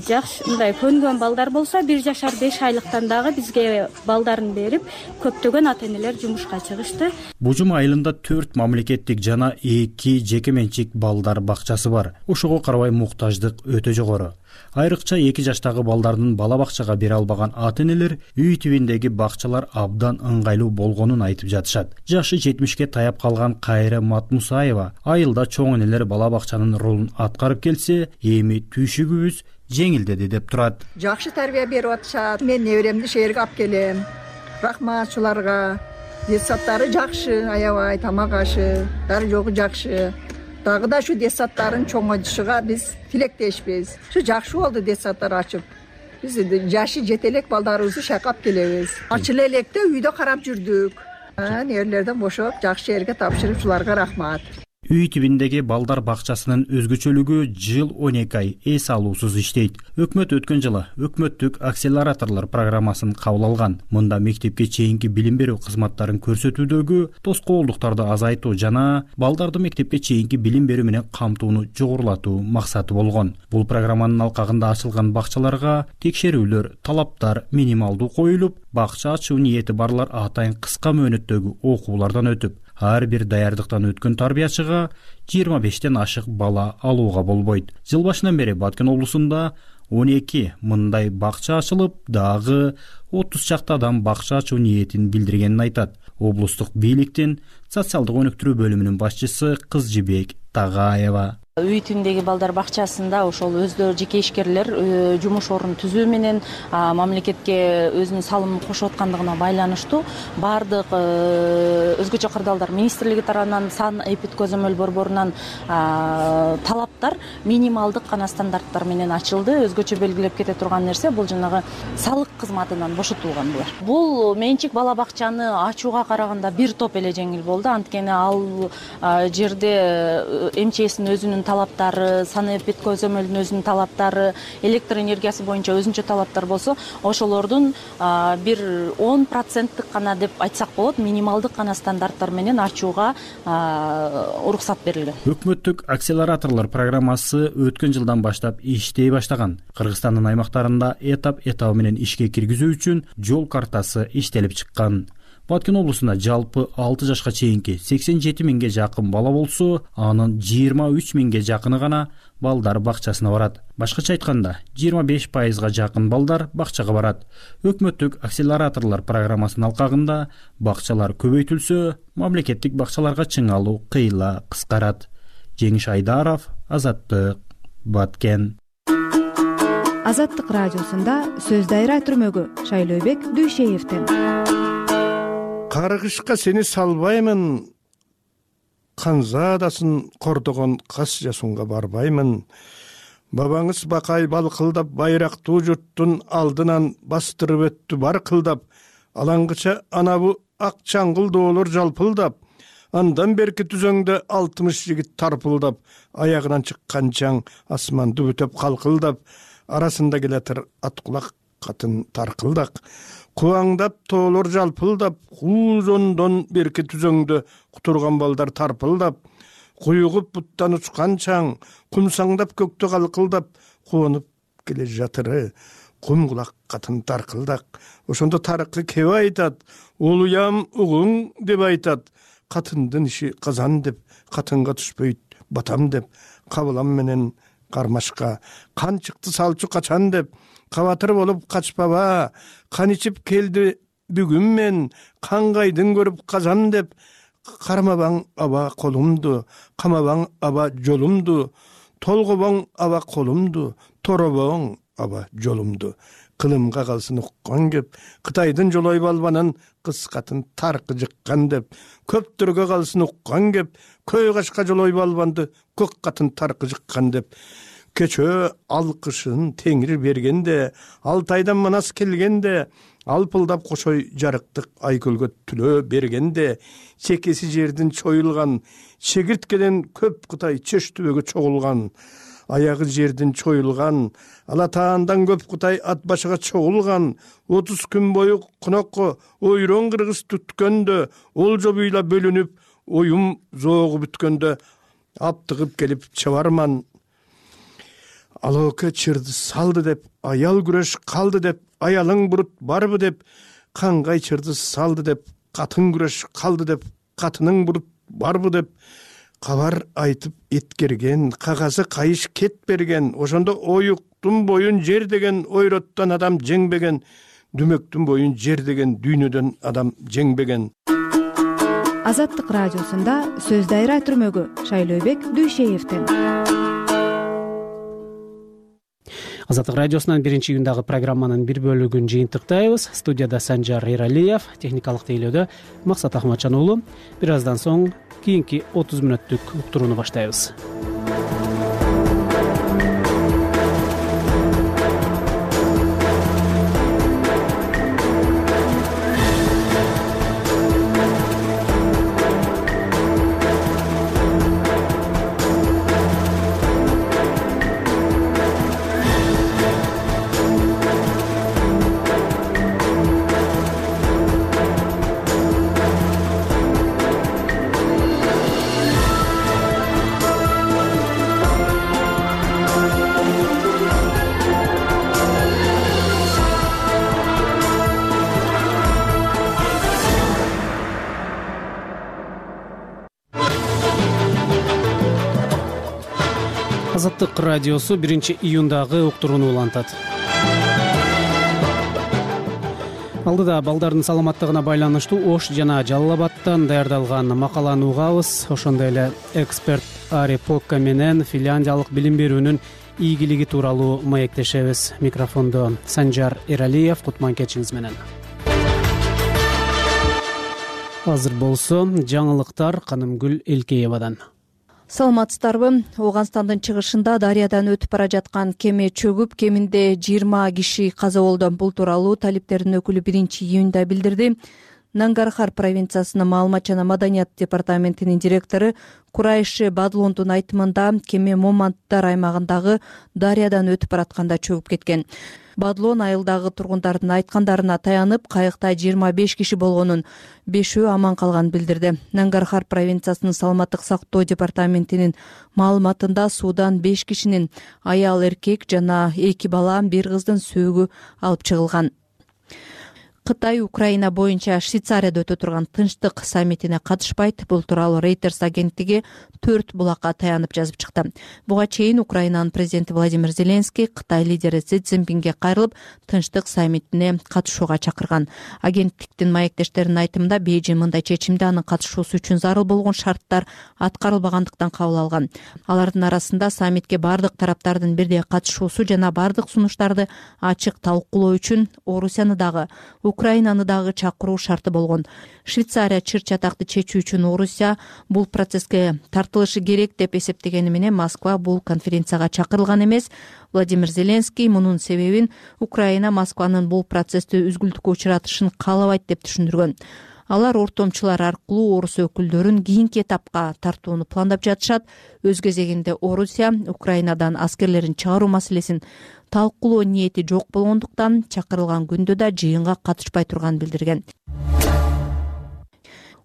жакшы мындай көнгөн балдар болсо 1 жашар 5 айлыктан дагы бизге балдарын берип көптөгөн ата-энелер жумушка чыгышты. Бужум айылында 4 мамлекеттик жана 2 жеке менчик балдар бакчасы бар. Ошого карабай муктаждык өтө жогору. Айрыкча 2 жаштагы балдардын бала бакчага бере албаган ата-энелер үй тибиндеги бакчалар абдан ыңгайлуу болгонун айтып жатышат. Жашы 70ке таяп калган Кайра Матмусаева айылда чоң энелер бала бакчанын ролун аткарып келсе, эми түйшүгүбүз жеңилдеди деп турат. Жакшы тарбия берип атышат. Мен неберемди шээрге алып келем. Рахматчыларга. Детсадтары жакшы, аябай тамак ашы, баары жогу жакшы. дагы да ушу детсадтардын чоңоюшуга биз тилектешпиз. Ушу жакшы болду детсадтар ачып. Биз жашы жете элек балдарыбызды шайкап келебиз. Ачыла электе үйдө карап жүрдүк. Нерлерден бошоп жакшы жерге тапшырып, ушуларга рахмат. Үй түбүндөгү балдар бакчасынын өзгөчөлүгү жыл 12 ай эс алуусуз иштейт. Өкмөт өткөн жылы өкмөттүк акселераторлор программасын кабыл алган. Мында мектепке чейинки билим берүү кызматтарын көрсөтүүдөгү тоскоолдуктарды азайтуу жана балдарды мектепке чейинки билим берүү менен камтууну жогорулатуу максаты болгон. Бул программанын алкагында ачылган бакчаларга текшерүүлөр, талаптар минималдуу коюлуп, бакча ачуу ниети барлар атайын кыска мөөнөттөгү окуулардан өтүп, ар бир даярдыктан өткөн тарбиячыга 25тен ашык бала алууга болбойт. Жыл башынан бери Баткен облусунда 12 мындай бакча ачылып, дагы 30 чакты адам бакча ачуу ниетин билдиргенин айтат. Облустук бийликтин социалдык өнүктүрүү бөлүмүнүн башчысы Кызжибек Тагаева. Үй түбүндөгү балдар бакчасында ошол өздөрү жеке ишкерлер жумуш орун түзүү менен мамлекетке өзүнүн салымын кошуп аткандыгына байланыштуу баардык өзгөчө кырдаалдар министрлиги тарабынан сан эпид көзөмөл борборунан талаптар минималдык гана стандарттар менен ачылды. Өзгөчө белгилеп кете турган нерсе бул жанагы салык кызматынан бошотулган булар. Бул менчик бала бакчаны ачууга караганда бир топ эле жеңил болду. Анткени ал жерде МЧСтин өзүнүн талаптары, санэпид көзөмөлдүн өзүнүн талаптары, электр энергиясы боюнча өзүнчө талаптар болсо, ошолордун бир 10% гана деп айтсак болот, минималдык гана стандарттар менен ачууга уруксат берилген. Өкмөттүк акселераторлор программасы өткөн жылдан баштап иштей баштаган. Кыргызстандын аймактарында этап менен ишке киргизүү үчүн жол картасы иштелип чыккан. Баткен облусунда жалпы 6 жашка чейинки 87 миңге жакын бала болсо, анын 23 миңге жакыны гана балдар бакчасына барат. Башкача айтканда, 25% жакын балдар бакчага барат. Өкмөттүк акселераторлор программасынын алкагында бакчалар көбөйтүлсө, мамлекеттик бакчаларга чыңалуу кыйла кыскарат. Жеңиш Айдаров, Азаттык, Баткен. Азаттык радиосунда сөз дайра түрмөгү Шайлообек Дүйшеевден. Каргышка сени салбаймын, канзадасын кордогон кас жасунга барбаймын. Бабаңыз бакай балкылдап байрактуу журттун алдынан бастырып өттү бар кылдап. Алаңгыча анабу ак чаңгыл доолор жалпылдап. Андан берки түзөңдө 60 жигит тарпылдап. Аягынан чыккан чаң асманды бүтөп калкылдап. Арасында келатыр аткулак катын таркылдак. Кубаңдап тоолор жалпылдап, куузондон берки түзөңдө кутурган балдар тарпылдап, куюгуп буттан учкан чаң, кумсаңдап көктө калкылдап, куонуп келе жатыры, кумгулак катын таркылдак. Ошондо тарыкы кеп айтат, улуям угуң деп айтат, катындын иши казан деп, катынга түшпөйт батам деп, кабылам менен кармашка, кан чыкты салчу качан деп, кабатыр болуп качпаба, кан ичип келди бүгүн мен, кангайдын көрүп казан деп, кармабаң аба колумду, камабаң аба жолумду, толгобоң аба колумду, торобоң аба жолумду. Кылымга калсын уккан кеп, Кытайдын жолой балбанын кыз катын таркы жыккан деп, көптөргө калсын уккан кеп, көй кашка жолой балбанды көк катын таркы жыккан деп. Кечөө алкышын теңир бергенде, Алтайдан манас келгенде, алпылдап кошой жарыктык айкөлгө түлөө бергенде, чекеси жердин чоюлган, чегирткеден көп Кытай чөш түбөгө чогулган, аягы жердин чоюлган, Алатаандан көп Кытай ат башыга чогулган, 30 күн бою кунокко ойрон кыргыз түткөндө, олжо буйла бөлүнүп, оюм зоогу бүткөндө, аптыгып келип чабарман. Алоке чырды салды деп, аял күрөш калды деп, аялың бурут барбы деп, кангай чырды салды деп, катын күрөш калды деп, катының бурут барбы деп, кабар айтып эткерген, кагазы кайыш кет берген, ошондо оюктун боюн жер деген ойроттон адам жеңбеген, дүмөктүн боюн жер деген дүйнөдөн адам жеңбеген. Азаттык радиосунда сөз дайра түрмөгү Шайлообек Дүйшеевден. Азаттык радиосунан 1-июндагы программанын бир бөлүгүн жыйынтыктайбыз. Студияда Санжар Эралиев, техникалык тейлөөдө Максат Ахматжан уулу. Бир аздан соң кийинки 30 мүнөттүк уктурууну баштайбыз. Азаттык радиосу 1-июндагы уктурууну улантат. Алдыда балдардын саламаттыгына байланыштуу Ош жана Жалал Абадтан даярдалган макаланы угабыз. Ошондой эле эксперт Ари Покка менен Финляндиялык билим берүүнүн ийгилиги тууралуу маектешебиз. Микрофондо Санжар Эралиев, кутман кечиңиз менен. Азыр болсо жаңылыктар Канымгүл Элкеевадан. Саламатсыздарбы? Ооганстандын чыгышында дарыядан өтүп бара жаткан кеме чөгүп, кеминде 20 киши каза болду. Бул тууралуу талиптердин өкүлү 1-июнда билдирди. Нангархар провинциясынын маалымат жана маданият департаментинин директору Курайши Бадлондун айтымында кеме Моманттар аймагындагы дарыядан өтүп баратканда чөгүп кеткен. Бадлон айылдагы тургундардын айткандарына таянып, кайыкта 25 киши болгонун, 5-өө аман калганын билдирди. Нангархар провинциясынын саламаттык сактоо департаментинин маалыматында суудан 5 кишинин аял, эркек жана 2 бала, 1 кыздын сөөгү алып чыгылган. Кытай Украина боюнча Швейцарияда өтө турган тынчтык саммитине катышпайт. Бул тууралуу Reuters агенттиги 4 булакка таянып жазып чыкты. Буга чейин Украинанын президенти Владимир Зеленский Кытай лидери Си Цзиньпинге кайрылып, тынчтык саммитине катышууга чакырган. Агенттиктин маектештеринин айтымында Бейжиң мындай чечимди анын катышуусу үчүн зарыл болгон шарттар аткарылбагандыктан кабыл алган. Алардын арасында саммитке бардык тараптардын бирдей катышуусу жана бардык сунуштарды ачык талкуулоо үчүн Орусияны дагы Украинаны дагы чакыруу шарты болгон. Швейцария чыр чатакты чечүү үчүн Орусия бул процесске тартылышы керек деп эсептегени менен Москва бул конференцияга чакырылган эмес. Владимир Зеленский мунун себебин Украина Москванын бул процессти үзгүлтүккө учуратышын каалабайт деп түшүндүргөн. Алар ортомчулар аркылуу орус өкүлдөрүн кийинки этапка тартууну пландап жатышат. Өз кезегинде Орусия Украинадан аскерлерин чыгаруу маселесин талкуулоо ниети жок болгондуктан чакырылган күндө да жыйынга катышпай турганын билдирген.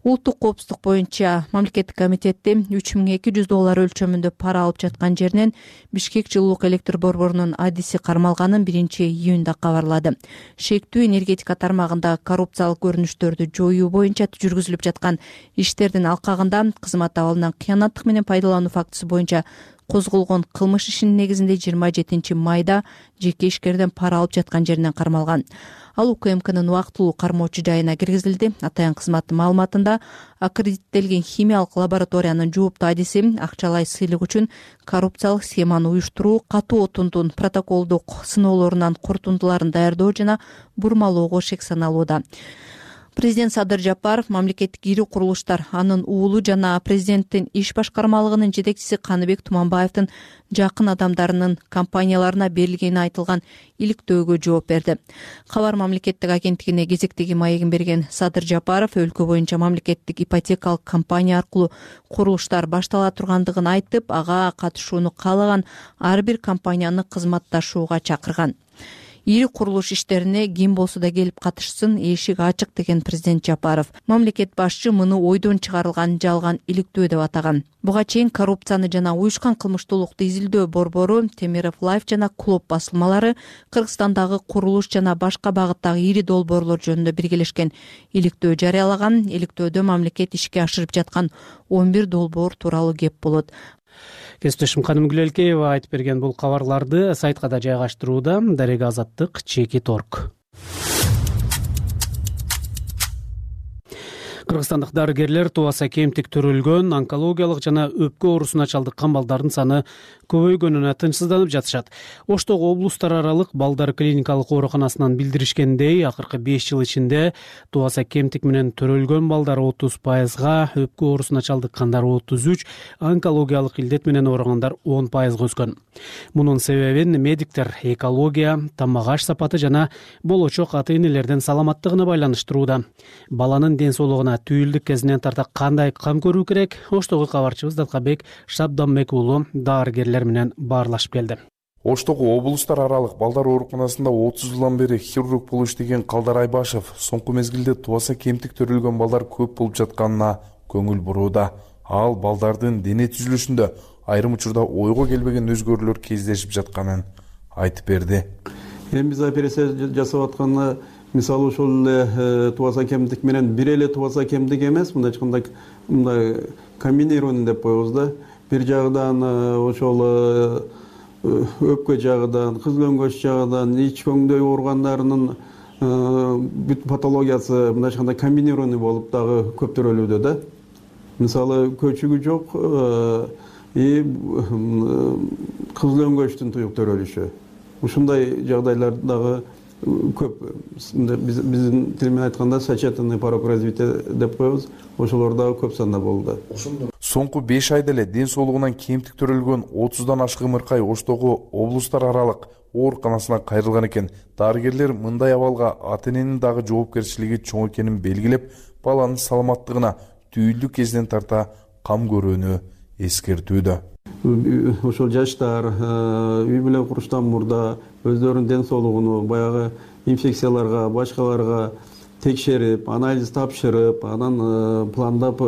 Улуттук коопсуздук боюнча мамлекеттик комитетти $3200 өлчөмүндө пара алып жаткан жеринен Бишкек жылуулук электр борборунун адиси кармалганын 1-июнда кабарлады. Шектүү энергетика тармагында коррупциялык көрүнүштөрдү жоюу боюнча жүргүзүлүп жаткан иштердин алкагында кызмат абалынан кыянаттык менен пайдалануу фактысы боюнча козголгон кылмыш ишинин негизинде 27 майда жеке ишкерден пара алып жаткан жеринен кармалган. Ал УКМКнын убактылуу кармоочу жайына киргизилди. Атайын кызматтын маалыматында аккредиттелген химиялык лабораториянын жооптуу адиси акчалай сыйлык үчүн коррупциялык схеманы уюштуруу, катуу отундун протоколдук сыноолорунан корутундуларын даярдоо жана бурмалоого шек саналууда. Президент Садыр Жапаров мамлекеттик ири курулуштар, анын уулу жана президенттин иш башкармалыгынын жетекчиси Каныбек Туманбаевдин жакын адамдарынын компанияларына берилгени айтылган иликтөөгө жооп берди. Кабар мамлекеттик агенттигине кезектеги маегин берген Садыр Жапаров өлкө боюнча мамлекеттик ипотекалык компания аркылуу курулуштар баштала тургандыгын айтып, ага катышууну каалаган ар бир компанияны кызматташууга чакырган. Ири курулуш иштерине ким болсо да келип катышсын, эшик ачык деген президент Жапаров. Мамлекет башчы муну ойдон чыгарылган жалган иликтөө деп атаган. Буга чейин коррупцияны жана уюшкан кылмыштуулукту изилдөө борбору, Темиров Лайф жана Клуб басылмалары Кыргызстандагы курулуш жана башка багыттагы ири долбоорлор жөнүндө биргелешкен иликтөө жарыялаган. Иликтөөдө мамлекет ишке ашырып жаткан 11 долбоор тууралуу кеп болот. Кесиптешим Канымгүл Элкеева айтып берген бул кабарларды сайтка да жайгаштырууда. Дарега Азаттык /.org. Кыргызстандык дарыгерлер тубаса кемтик төрөлгөн, онкологиялык жана өпкө оорусуна чалдыккан балдардын саны көбөйгөнүнө тынчсызданып жатышат. Оштогу облустар аралык балдар клиникалык ооруканасынан билдиришкендей, акыркы 5 жыл ичинде тубаса кемтик менен төрөлгөн балдар 30%, өпкө оорусуна чалдыккандар 33%, онкологиялык илдет менен ооругандар 10%га өскөн. Мунун себебин медиктер экология, тамак-аш сапаты жана болочок ата-энелердин саламаттыгына байланыштырууда. Баланын ден соолугуна түйүлдүк кезинен тарта кандай кам көрүү керек? Оштогу кабарчыбыз Далкабек Шабданбек уулу дарыгерлер менен баарлашып келди. Оштогу облустар аралык балдар ооруканасында 30 жылдан бери хирург болуп иштеген Калдар Айбашев соңку мезгилде тубаса кемтик төрөлгөн балдар көп болуп жатканына көңүл бурууда. Ал балдардын дене түзүлүшүндө айрым учурда ойго келбеген өзгөрүүлөр кездешип жатканын айтып берди. Эми биз операция жасап атканда мисалы ошол эле тубаса кемтик менен бир эле тубаса кемтик эмес, мындай мындай комбинированный деп коебуз да. Бир жагынан ошол өпкө жагынан, кыз көңгөч жагынан, ич көңдөй ооругандарынын бүт патологиясы мындайча комбинированный болуп дагы көп төрөлүүдө да. Мисалы көчүгү жок кыз көңгөчтүн туюк төрөлүшү. Ушундай жагдайлар дагы көп. Биздин тил менен айтканда сочетанный порог развития деп коебуз. Ошолор дагы көп санда болду. Соңку 5 айда эле ден соолугунан кемтик төрөлгөн 30дан ашык ымыркай Оштогу облустар аралык ооруканасына кайрылган экен. Дарыгерлер мындай абалга ата-эненин дагы жоопкерчилиги чоң экенин белгилеп, баланын саламаттыгына түйүлдүк кезинен тарта кам көрүүнү эскертүүдө. Ошол жаштар үй бүлө куруштан мурда өздөрүнүн ден соолугуну баягы инфекцияларга, башкаларга текшерип, анализ тапшырып, анан пландап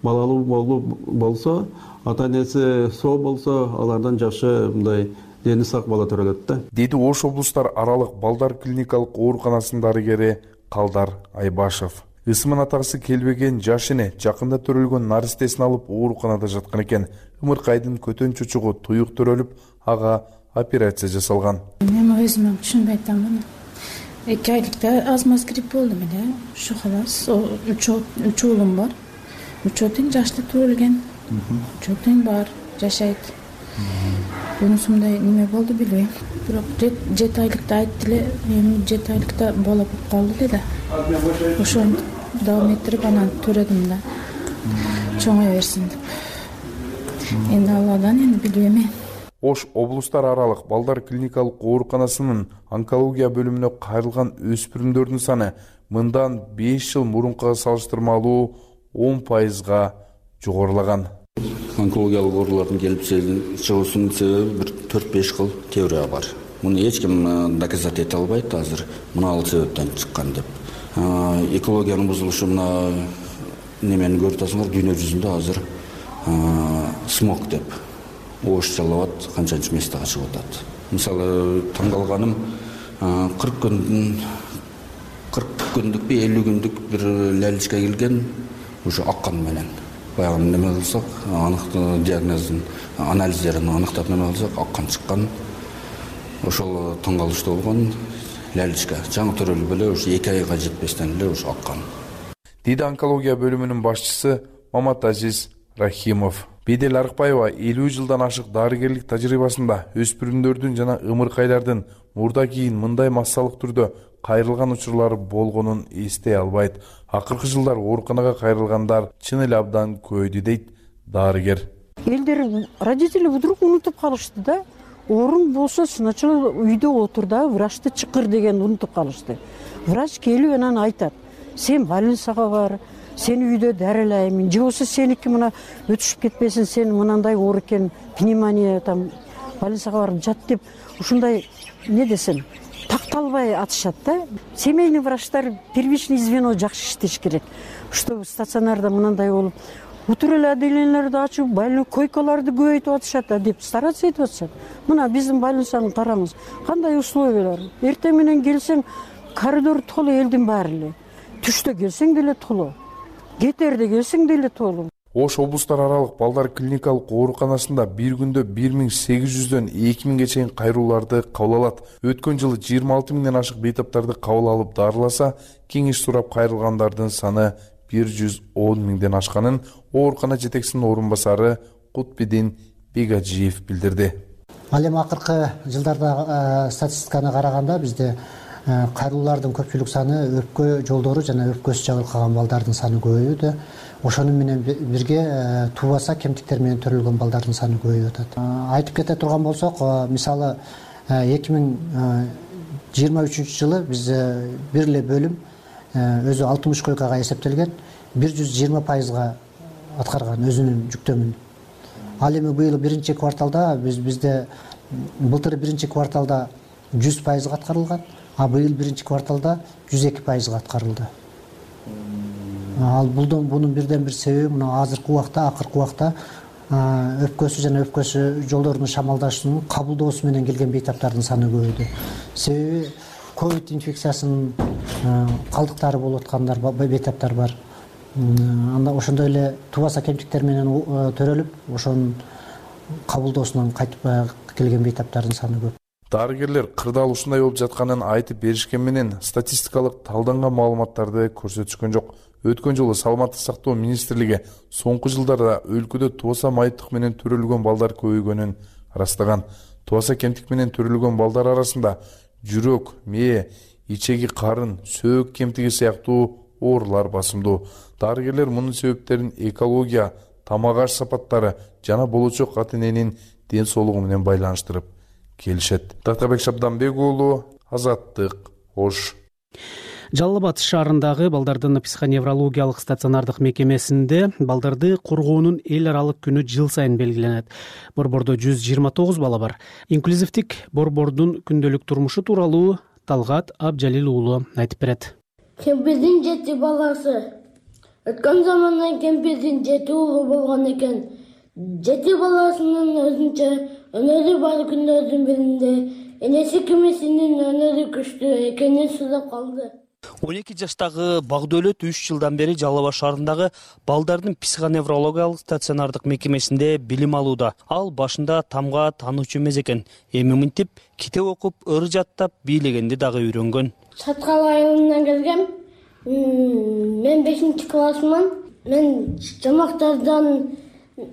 балалуу болсо, ата-энеси соо болсо, алардан жакшы мындай дени сак бала төрөлөт да. Деди Ош облустар аралык балдар клиникалык ооруканасынын дарыгери Калдар Айбашев. Ысымын атагысы келбеген жаш эне жакында төрөлгөн наристесин алып ооруканада жаткан экен. Ымыркайдын көтөн чучугу туюк төрөлүп, ага операция жасалган. Мен өзүм түшүнбөй атам. 2 айлыкта аз-маз грипп болду эле. Ушу халас. 3 уулум бар. 3 тең жашта төрөлгөн. 3 тең бар, жашайт. Бунусундай неме болду билбейм. Бирок 7 айлыкта айтты эле, эми 7 айлыкта бала болуп калды эле да. Ошону дагы этирип анан төрөдүм да. Чоңой берсин деп. Энди Алладан билбейм. Ош облустар аралык балдар клиникалык ооруканасынын онкология бөлүмүнө кайрылган өспүрүмдөрдүн саны мындан 5 жыл мурункуга салыштырмалуу 10%га жогорулаган. Онкологиялык оорулардын келип чыгуусунун себеби бир 4-5 кыл теория бар. Муну эч ким доказать эте албайт азыр мына себептен чыккан деп. Экологиянын бузулушу мына немени көрүп атасыңар, дүйнө жүзүндө азыр смог деп оошчалап атат, канчанчы местеге чыгып атат. Мисалы таң калганым 40 күндүкпү 50 күндүк бир лялечка келген уже аккан менен. Баягы неме кылсак, анык диагнозун, анализдерин аныктап неме кылсак, аккан чыккан. Ошол таң калыштуу болгон лялечка. Жаңы төрөлүп эле ушу 2 айга жетпестен эле ушу аккан. Диди онкология бөлүмүнүн башчысы Маматазиз Рахимов. Бедел Арыкбаева 50 жылдан ашык дарыгерлик тажрыйбасында өспүрүмдөрдүн жана ымыркайлардын мурда кийин мындай массалык түрдө кайрылган учурлары болгонун эстей албайт. Акыркы жылдар ооруканага кайрылгандар чын эле абдан көйдү дейт дарыгер. Элдер родители вдруг унутуп калышты да. Орун болсо сначала үйдө отур да, врачты чакыр деген унутуп калышты. Врач келип анан айтат: "Сен больницага бар, сени үйдө дарылайм, же болбосо сеники мына өтүшүп кетпесин, сен мынандай оор экен, пневмония там, больницага барып жат" деп ушундай не десем, такталбай атышат да. Семейный врачтар первичный звено жакшы иштеш керек. Что стационарда мынандай болуп, утур эле отделенияларды ачып, больной койкаларды көбөйтүп атышат деп стараться этип атышат. Мына биздин больницаны караңыз, кандай условиялар. Эртең менен келсең, коридор толу элдин баары эле. Түштө келсең деле толу. Кетерде келсең деле толу. Ош облустар аралык балдар клиникалык ооруканасында бир күндө 1800дөн 2000ге чейин кайрууларды кабыл алат. Өткөн жылы 26 миңден ашык бейтаптарды кабыл алып дарыласа, кеңеш сурап кайрылгандардын саны 110 миңден ашканын оорукана жетекчисинин орун басары Кутбидин Бегажиев билдирди. Ал эми акыркы жылдарда статистиканы караганда бизде кайрылуулардын көпчүлүк саны өпкө жолдору жана өпкөсү жабыркаган балдардын саны көбөйүүдө. Ошону менен бирге туубаса кемтиктер менен төрөлгөн балдардын саны көбөйүп атат. Айтып кете турган болсок, мисалы 2023 жылы биз бир эле бөлүм өзү 60 койкага эсептелген 120% аткарган өзүнүн жүктөмүн. Ал эми быйыл биринчи кварталда бизде былтыр биринчи кварталда 100% аткарылган, а быйыл биринчи кварталда 102% аткарылды. Ал бунун бирден бир себеби мына азыркы убакта, акыркы убакта өпкөсү жана өпкөсү жолдорунун шамалдашуунун кабылдоосу менен келген бейтаптардын саны көбөйдү. Себеби ковид инфекциясынын калдыктары болуп аткандар бейтаптар бар. Анда ошондой эле туубаса кемтиктер менен төрөлүп, ошонун кабылдоосунан кайтып келген бейтаптардын саны көп. Дарыгерлер кырдаал ушундай болуп жатканын айтып беришкен менен статистикалык талданган маалыматтарды көрсөтүшкөн жок. Өткөн жолу Саламаттык сактоо министрлиги соңку жылдарда өлкөдө тубаса майыптык менен төрөлгөн балдар көбөйгөнүн ырастаган. Тубаса кемтик менен төрөлгөн балдар арасында жүрөк, мээ, ичеги карын, сөөк кемтиги сыяктуу оорулар басымдуу. Дарыгерлер мунун себептерин экология, тамак аш сапаттары жана болочок ата-эненин ден соолугу менен байланыштырып келишет. Тактабек Шабданбек уулу, Азаттык, Ош. Жалал Абад шаарындагы балдардын психоневрологиялык стационардык мекемесинде балдарды коргоонун эл аралык күнү жыл сайын белгиленет. Борбордо 129 бала бар. Инклюзивдик борбордун күндөлүк турмушу тууралуу Талгат Абжалил уулу айтып берет. Кемпирдин 7 баласы. Өткөн замандан кемпирдин 7 уулу болгон экен. 7 баласынын өзүнчө өнөрү бар күндөрдүн биринде энеси кимисинин өнөрү күчтүү экенин сурап калды. 12 жаштагы Багдөлөт 3 жылдан бери Жалал Абад шаарындагы балдардын психоневрологиялык стационардык мекемесинде билим алууда. Ал башында тамга таануучу эмес экен. Эми мынтип китеп окуп, ыр жаттап, бийлегенди дагы үйрөнгөн. Чаткал айылынан келгем. Мен 5 классман. Мен жамактардан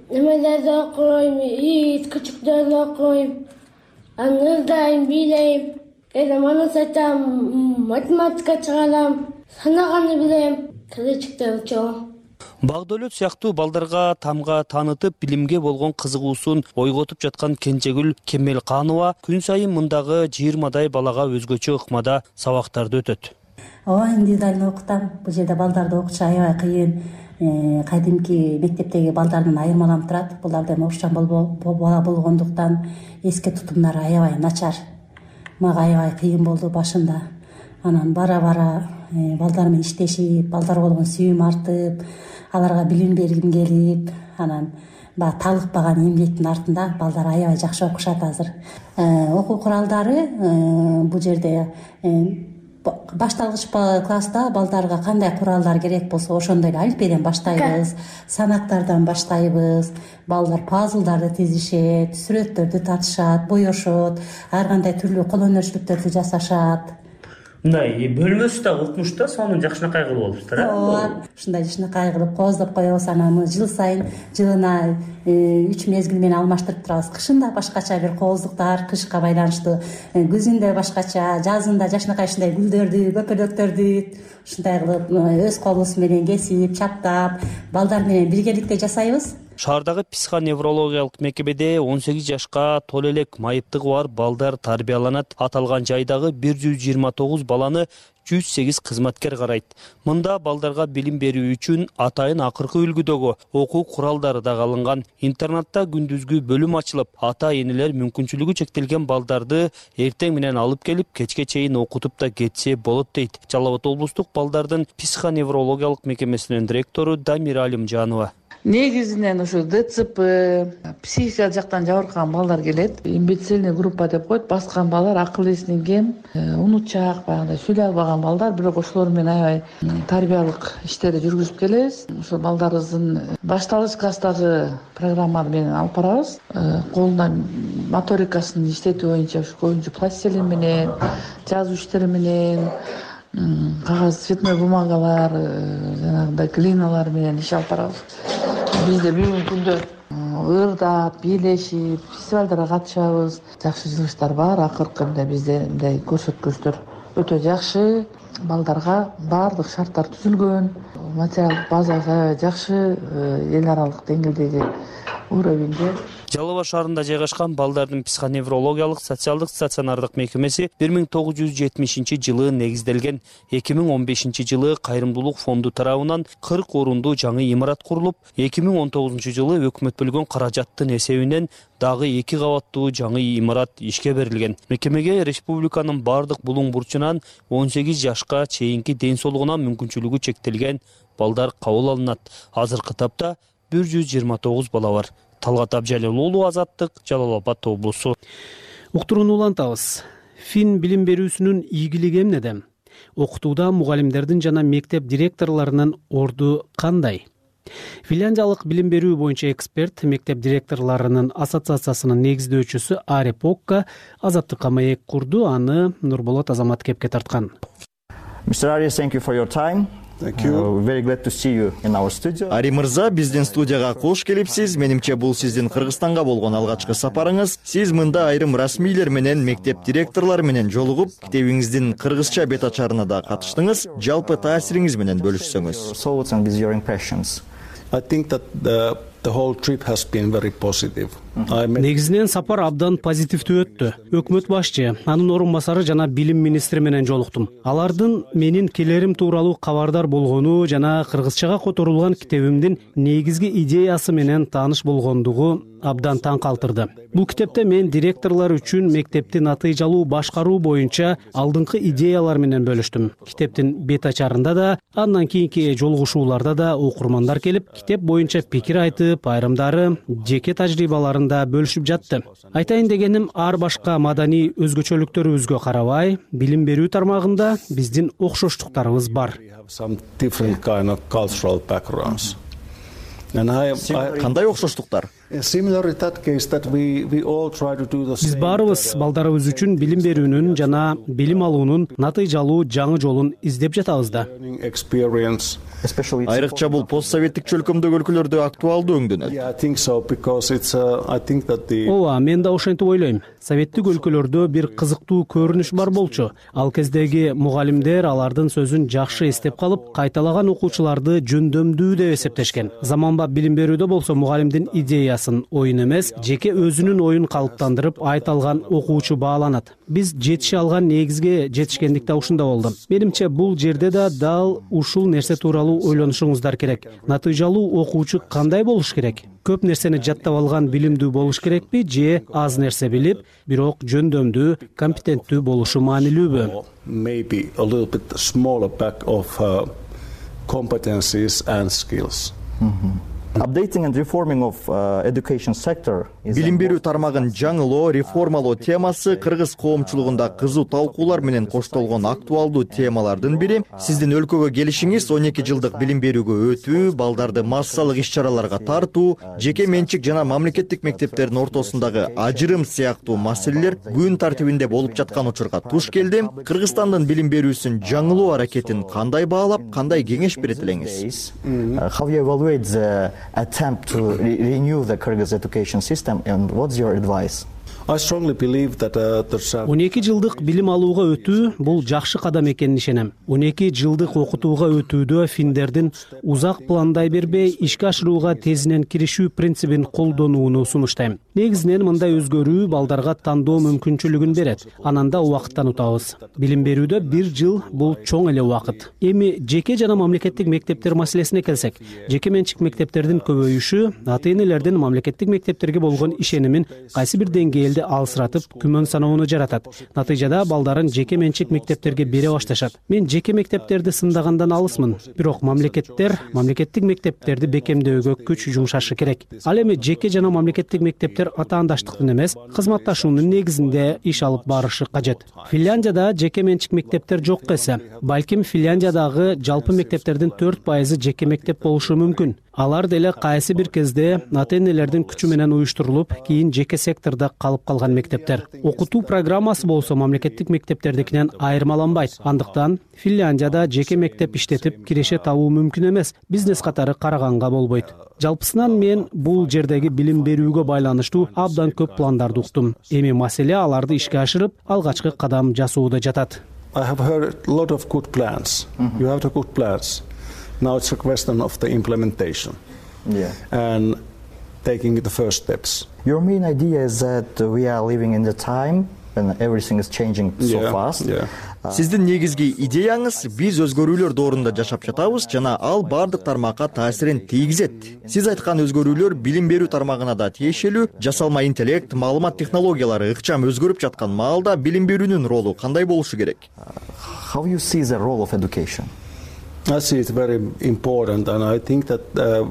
немелерди окуйм, ит күчүктөрдү окуйм. Ырдайм, бийлейм. Эдем аны сайтам, математика чыгарам, санаганы билем, келечекте чоң. Багдөлөт сыяктуу балдарга тамга таанытып, билимге болгон кызыгуусун ойготуп жаткан Кенчегүл Кемелканова күн сайын мындагы 20дай балага өзгөчө ыкмада сабактарды өтөт. Индивидуально окутам. Бул жерде балдарды окутуш аябай кыйын. Кадимки мектептеги балдардан айырмаланып турат. Буларда орусча бала болгондуктан эске тутумдары аябай начар. Мага аябай кыйын болду башында. Анан бара балдар менен иштешип, балдарга болгон сүйүүм артып, аларга билим бергим келип, анан талыкпаган эмгектин артында балдар аябай жакшы окушат азыр. Окуу куралдары бул жерде башталгыч класста балдарга кандай куралдар керек болсо ошондой эле алфбеден баштайбыз, санактардан баштайбыз. Балдар пазлдарды тизишет, сүрөттөрдү татышат, боешот, ар кандай түрлүү кол өнөрчүлүктөрдү жасашат. Мындай бөлмөсү да укмушта, сонун жакшынакай кылып алыптыр, Ооба, ушундай жакшынакай кылып кооздоп коебуз. Анан жыл сайын жылына 3 мезгил менен алмаштырып турабыз. Кышында башкача бир кооздуктар, кышка байланыштуу, күзүндө башкача, жазында жакшынакай ушундай гүлдөрдү, көпөлөктөрдү ушундай кылып өз колубуз менен кесип, чаптап, балдар менен биргеликте жасайбыз. Шаардагы психоневрологиялык мекемеде 18 жашка толо элек майыптыгы бар балдар тарбияланат. Аталган жайдагы 129 баланы 108 кызматкер карайт. Мында балдарга билим берүү үчүн атайын акыркы үлгүдөгү окуу куралдары да алынган. Интернатта күндүзгү бөлүм ачылып, ата-энелер мүмкүнчүлүгү чектелген балдарды эртең менен алып келип, кечке чейин окутуп да кетсе болот дейт. Жалал Абад облустук балдардын психоневрологиялык мекемесинин директору Дамира Алимжанова. Негизинен ушу ДЦП, психика жактан жабыркаган балдар келет. Имбецильный группа деп коет. Баскан балдар акыл эсинен кем, унутчак, баягындай сүйлөй албаган балдар, бирок ошолор менен аябай тарбиялык иштерди жүргүзүп келебиз. Ошол балдарыбыздын башталгыч класстагы программаны менен алып барабыз. Колуна моторикасын иштетүү боюнча көбүнчө пластилин менен, жазуу иштери менен, кагаз цветной бумагалар, жанагындай глиналар менен иш алып барабыз. Бизде бүгүнкү күндө ырдап, бийлешип, фестивалдарга катышабыз. Жакшы жылыштар бар. Акыркы бизде мындай көрсөткүчтөр өтө жакшы. Балдарга баардык шарттар түзүлгөн. Материалдык базасы аябай жакшы, эл аралык деңгээлдеги уровеньде. Жалал Абад шаарында жайгашкан балдардын психоневрологиялык социалдык стационардык мекемеси 1970 негизделген. 2015 Кайрымдуулук фонду тарабынан 40 орундуу жаңы имарат курулуп, 2019 өкмөт бөлгөн каражаттын эсебинен дагы 2 кабаттуу жаңы имарат ишке берилген. Мекемеге республиканын бардык булуң бурчунан 18 жашка чейинки ден соолугуна мүмкүнчүлүгү чектелген балдар кабыл алынат. Азыркы тапта 129 бала бар. Талгат Абжалил уулу, Азаттык, Жалал Абад облусу. Уктурууну улантабыз. Фин билим берүүсүнүн ийгилиги эмнеде? Окутууда мугалимдердин жана мектеп директорлорунун орду кандай? Финляндиялык билим берүү боюнча эксперт, мектеп директорлорунун ассоциациясынын негиздөөчүсү Ари Покка Азаттыкка маек курду, аны Нурболот Азаматкепке тарткан. Mr. Ari, thank you for your time. Very glad to see you in our studio. Ари мырза, биздин студияга кош келипсиз. Менимче бул сиздин Кыргызстанга болгон алгачкы сапарыңыз. Сиз мында айрым расмийлер менен, мектеп директорлору менен жолугуп, китебиңиздин кыргызча бет ачарына да катыштыңыз. Жалпы таасириңиз менен бөлүшсөңүз. Thoughts and your impressions. I think that the whole trip has been very positive. Негизинен сапар абдан позитивдүү өттү. Өкмөт башчы, анын орун басары жана билим министри менен жолуктум. Алардын менин келерим тууралуу кабардар болгону жана кыргызчага которулган китебимдин негизги идеясы менен тааныш болгондугу абдан таң калтырды. Бул китепте мен директорлор үчүн мектепти натыйжалуу башкаруу боюнча алдыңкы идеялар менен бөлүштүм. Китептин бет ачарында да, андан кийинки жолугушууларда да окурмандар келип, китеп боюнча пикир айтып, айрымдары жеке тажрыйбаларын бөлүшүп жатты. Айтайын дегеним, ар башка маданий өзгөчөлүктөрүбүзгө карабай, билим берүү тармагында биздин окшоштуктарыбыз бар. Кандай окшоштуктар? Биз баарыбыз балдарыбыз үчүн билим берүүнүн жана билим алуунун натыйжалуу жаңы жолун издеп жатабыз да. Айрыкча бул постсоветтик чөлкөмдөгү өлкөлөрдө актуалдуу өңдөнөт. Ооба, мен да ошентип ойлойм. Советтик өлкөлөрдө бир кызыктуу көрүнүш бар болчу. Ал кездеги мугалимдер алардын сөзүн жакшы эстеп калып, кайталаган окуучуларды жөндөмдүү деп эсептешкен. Заманбап билим берүүдө болсо мугалимдин идеясын, оюн эмес, жеке өзүнүн оюн калыптандырып айта алган окуучу бааланат. Биз жетише алган негизге жетишкендик да ушунда болду. Менимче бул жерде да дал ушул нерсе тууралуу ойлонушуңуздар керек. Натыйжалуу окуучу кандай болуш керек? Көп нерсени жаттап алган билимдүү болуш керекпи же аз нерсе билип, бирок жөндөмдүү, компетенттүү болушу маанилүүбү? Maybe a little bit smaller pack of competencies and skills. Updating and reforming of education sector. Билим берүү тармагын жаңылоо, реформалоо темасы кыргыз коомчулугунда кызуу талкуулар менен коштолгон актуалдуу темалардын бири. Сиздин өлкөгө келишиңиз 12 жылдык билим берүүгө өтүү, балдарды массалык иш-чараларга тартуу, жеке менчик жана мамлекеттик мектептердин ортосундагы ажырым сыяктуу маселелер күн тартибинде болуп жаткан учурга туш келди. Кыргызстандын билим берүүсүн жаңылоо аракетин кандай баалап, кандай кеңеш берет элеңиз? How you evaluate the attempt to renew the Kyrgyz education system and what's your advice? I strongly believe that 12 жылдык билим алууга өтүү бул жакшы кадам экенин ишенем. 12 жылдык окутууга өтүүдө финдердин узак пландай бербей ишке ашырууга тезинен киришүү принцибин колдонууну сунуштайм. Негизинен мындай өзгөрүү балдарга тандоо мүмкүнчүлүгүн берет. Анан да убакыттан утабыз. Билим берүүдө 1 жыл бул чоң эле убакыт. Эми жеке жана мамлекеттик мектептер маселесине келсек, жеке менчик мектептердин көбөйүшү ата-энелердин мамлекеттик мектептерге болгон ишенимин кайсы бир деңгээлде алсыратып, күмөн саноону жаратат. Натыйжада балдарын жеке менчик мектептерге бере башташат. Мен жеке мектептерди сындагандан алысмын, бирок мамлекеттик мектептерди бекемдөөгө күч жумшашы керек. Ал эми жеке жана мамлекеттик мектептер атаандаштыктын эмес, кызматташуунун негизинде иш алып барышы кажет. Финляндияда жеке менчик мектептер жок эсе, балким Финляндиядагы жалпы мектептердин 4% жеке мектеп болушу мүмкүн. Алар деле кайсы бир кезде ата энелердин күчү менен уюштурулуп, кийин жеке сектордо калып калган мектептер. Окутуу программасы болсо мамлекеттик мектептердикинен айырмаланбайт. Андыктан Финляндияда жеке мектеп иштетип киреше табуу мүмкүн эмес. Бизнес катары караганга болбойт. Жалпысынан мен бул жердеги билим берүүгө байланыштуу абдан көп пландарды уктум. Эми маселе аларды ишке ашырып, алгачкы кадам жасоодо жатат. I have heard a lot of good plans. You have the good plans. Now it's a question of the implementation. And taking the first steps. Your main idea is that we are living in the time when everything is changing so fast. Сиздин негизги идеяңыз биз өзгөрүүлөр доорунда жашап жатабыз жана ал бардык тармакка таасирин тийгизет. Сиз айткан өзгөрүүлөр билим берүү тармагына да тиешелүү. Жасалма интеллект, маалымат технологиялары ыкчам өзгөрүп жаткан маалда билим берүүнүн ролу кандай болушу керек? How you see the role of education? I see it very important, and I think that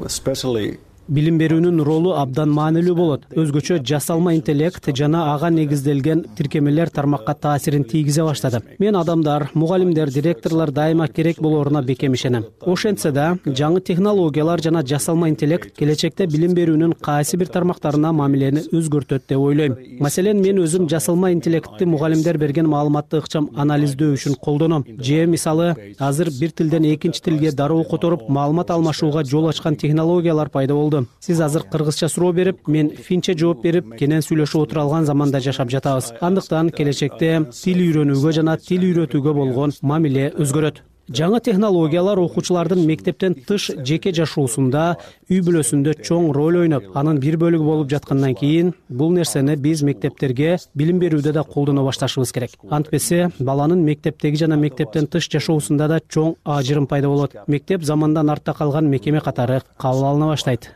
especially Билим берүүнүн ролу абдан маанилүү болот. Өзгөчө жасалма интеллект жана ага негизделген тиркемелер тармакка таасирин тийгизе баштады. Мен адамдар, мугалимдер, директорлор дайыма керек болоруна бекем ишенем. Ошентсе да, жаңы технологиялар жана жасалма интеллект келечекте билим берүүнүн кайсы бир тармактарына мамилени өзгөртөт деп ойлойм. Маселен, мен өзүм жасалма интеллектти мугалимдер берген маалыматты ыкчам анализдөө үчүн колдоном. Же мисалы, азыр бир тилден экинчи тилге дароо которуп, маалымат алмашууга жол ачкан технологиялар пайда болду. Сиз азыр кыргызча суроо берип, мен финче жооп берип, кенен сүйлөшүп отура алган заманда жашап жатабыз. Андыктан келечекте тил үйрөнүүгө жана тил үйрөтүүгө болгон мамиле өзгөрөт. Жаңы технологиялар окуучулардын мектептен тыш жеке жашоосунда, үй бүлөсүндө чоң роль ойноп, анын бир бөлүгү болуп жаткандан кийин бул нерсени биз мектептерге билим берүүдө да колдоно башташыбыз керек. Антпесе баланын мектептеги жана мектептен тыш жашоосунда да чоң ажырым пайда болот. Мектеп замандан артта калган мекеме катары кабыл алына баштайт.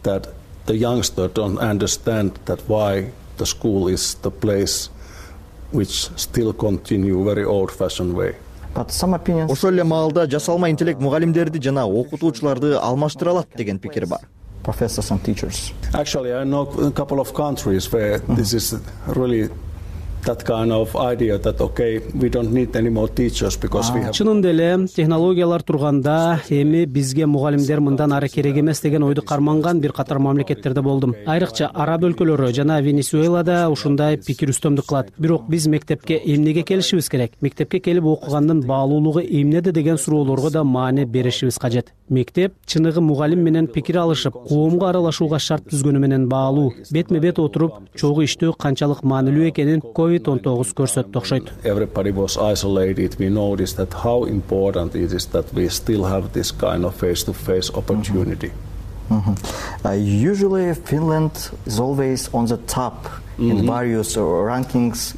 That the youngster don't understand that why the school is the place which still continue very old-fashioned way. Ошол эле маалда жасалма интеллект мугалимдерди жана окутуучуларды алмаштыра алат деген пикир бар. Professors and teachers. Actually, I know a couple of countries where this is really that kind of idea that okay, we don't need any more teachers because we have. Чынында эле технологиялар турганда эми бизге мугалимдер мындан ары керек эмес деген ойду карманган бир катар мамлекеттерде болдум. Айрыкча араб өлкөлөрү жана Венесуэлада ушундай пикир үстөмдүк кылат. Бирок биз мектепке эмнеге келишибиз керек? Мектепке келип окугандын баалуулугу эмнеде деген суроолорго да маани беришибиз кажет. Мектеп чыныгы мугалим менен пикир алышып, коомго аралашууга шарт түзгөнү менен баалуу. Бетме бет отуруп, чогуу иштөө канчалык маанилүү экенин COVID-19 көрсөттү окшойт. Everybody was isolated. We noticed that how important it is that we still have this kind of face-to-face opportunity. Usually Finland is always on the top in various rankings.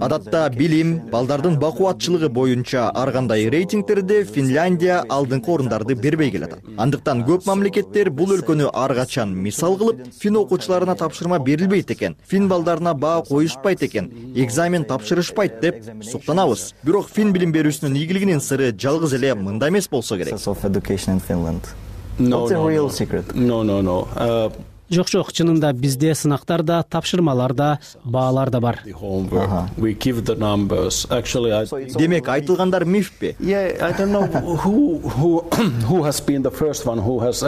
Адатта билим, балдардын бакубатчылыгы боюнча ар кандай рейтингтерде Финляндия алдыңкы орундарды бербей келет. Андыктан көп мамлекеттер бул өлкөнү ар качан мисал кылып, фин окуучуларына тапшырма берилбейт экен, фин балдарына баа коюшпайт экен, экзамен тапшырышпайт деп суктанабыз. Бирок фин билим берүүсүнүн ийгилигинин сыры жалгыз эле мында эмес болсо керек. What's the real secret? No. Жок, чынында бизде сынактар да, тапшырмалар да, баалар да бар. We give the numbers. Actually, Демек айтылгандар мифпи? Yeah, I don't know who has been the first one who has.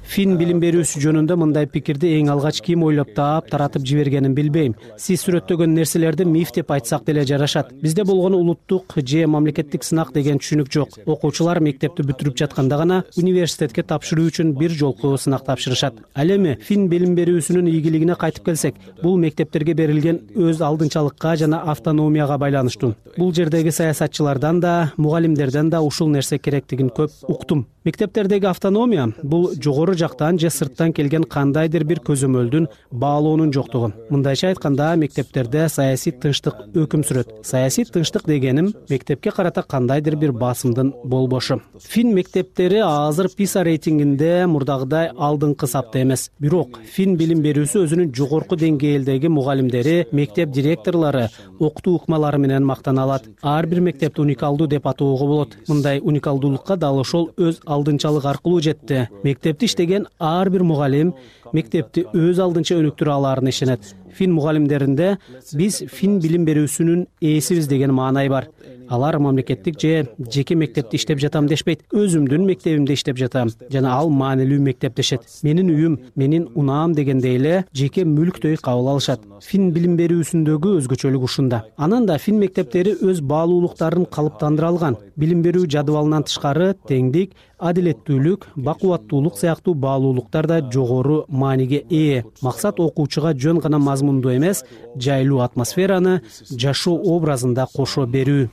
Фин билим берүүсү жөнүндө мындай пикирди эң алгач ким ойлоп таратып жибергенин билбейм. Сиз сүрөттөгөн нерселерди миф деп айтсак деле жарашат. Бизде болгон улуттук же мамлекеттик сынак деген түшүнүк жок. Окуучулар мектепти бүтүрүп жатканда гана университетке тапшыруу үчүн бир жолку сынак тапшырышат. Ал эми фин билим берүүсүнүн ийгилигине кайтып келсек, бул мектептерге берилген өз алдынчалыкка жана автономияга байланыштуу. Бул жердеги саясатчылардан да, мугалимдерден да ушул нерсе керектигин көп уктум. Мектептердеги автономия бул жогору жактан же сырттан келген кандайдыр бир көзөмөлдүн баалоонун жоктугу. Мындайча айтканда, мектептерде саясий тынчтык өкүм сүрөт. Саясий тынчтык дегеним мектепке карата кандайдыр бир басымдын болбошу. Фин мектептери азыр PISA рейтингинде мурдагыдай алдыңкы сапта эмес. Бирок фин билим берүүсү өзүнүн жогорку деңгээлдеги мугалимдери, мектеп директорлору, окутуу ыкмалары менен мактана алат. Ар бир мектепти уникалдуу деп атоого болот. Мындай уникалдуулукка дал ошол өз алдынчалык аркылуу жетти. Мектепти иштеген ар бир мугалим мектепти өз алдынча өнүктүрө аларына ишенет. Фин мугалимдеринде биз фин билим берүүсүнүн ээсибиз деген маанай бар. Алар мамлекеттик же жеке мектепте иштеп жатам дешпейт. Өзүмдүн мектебимде иштеп жатам жана ал маанилүү мектеп дешет. Менин үйүм, менин унаам дегендей эле жеке мүлктөй кабыл алышат. Фин билим берүүсүндөгү өзгөчөлүк ушунда. Анан да фин мектептери өз баалуулуктарын калыптандыра алган. Билим берүү жадыбалынан тышкары теңдик, адилеттүүлүк, бакубаттуулук сыяктуу баалуулуктар да жогору мааниге ээ. Максат окуучуга жөн гана мазмунду эмес, жайлуу атмосфераны жашоо образында кошо берүү.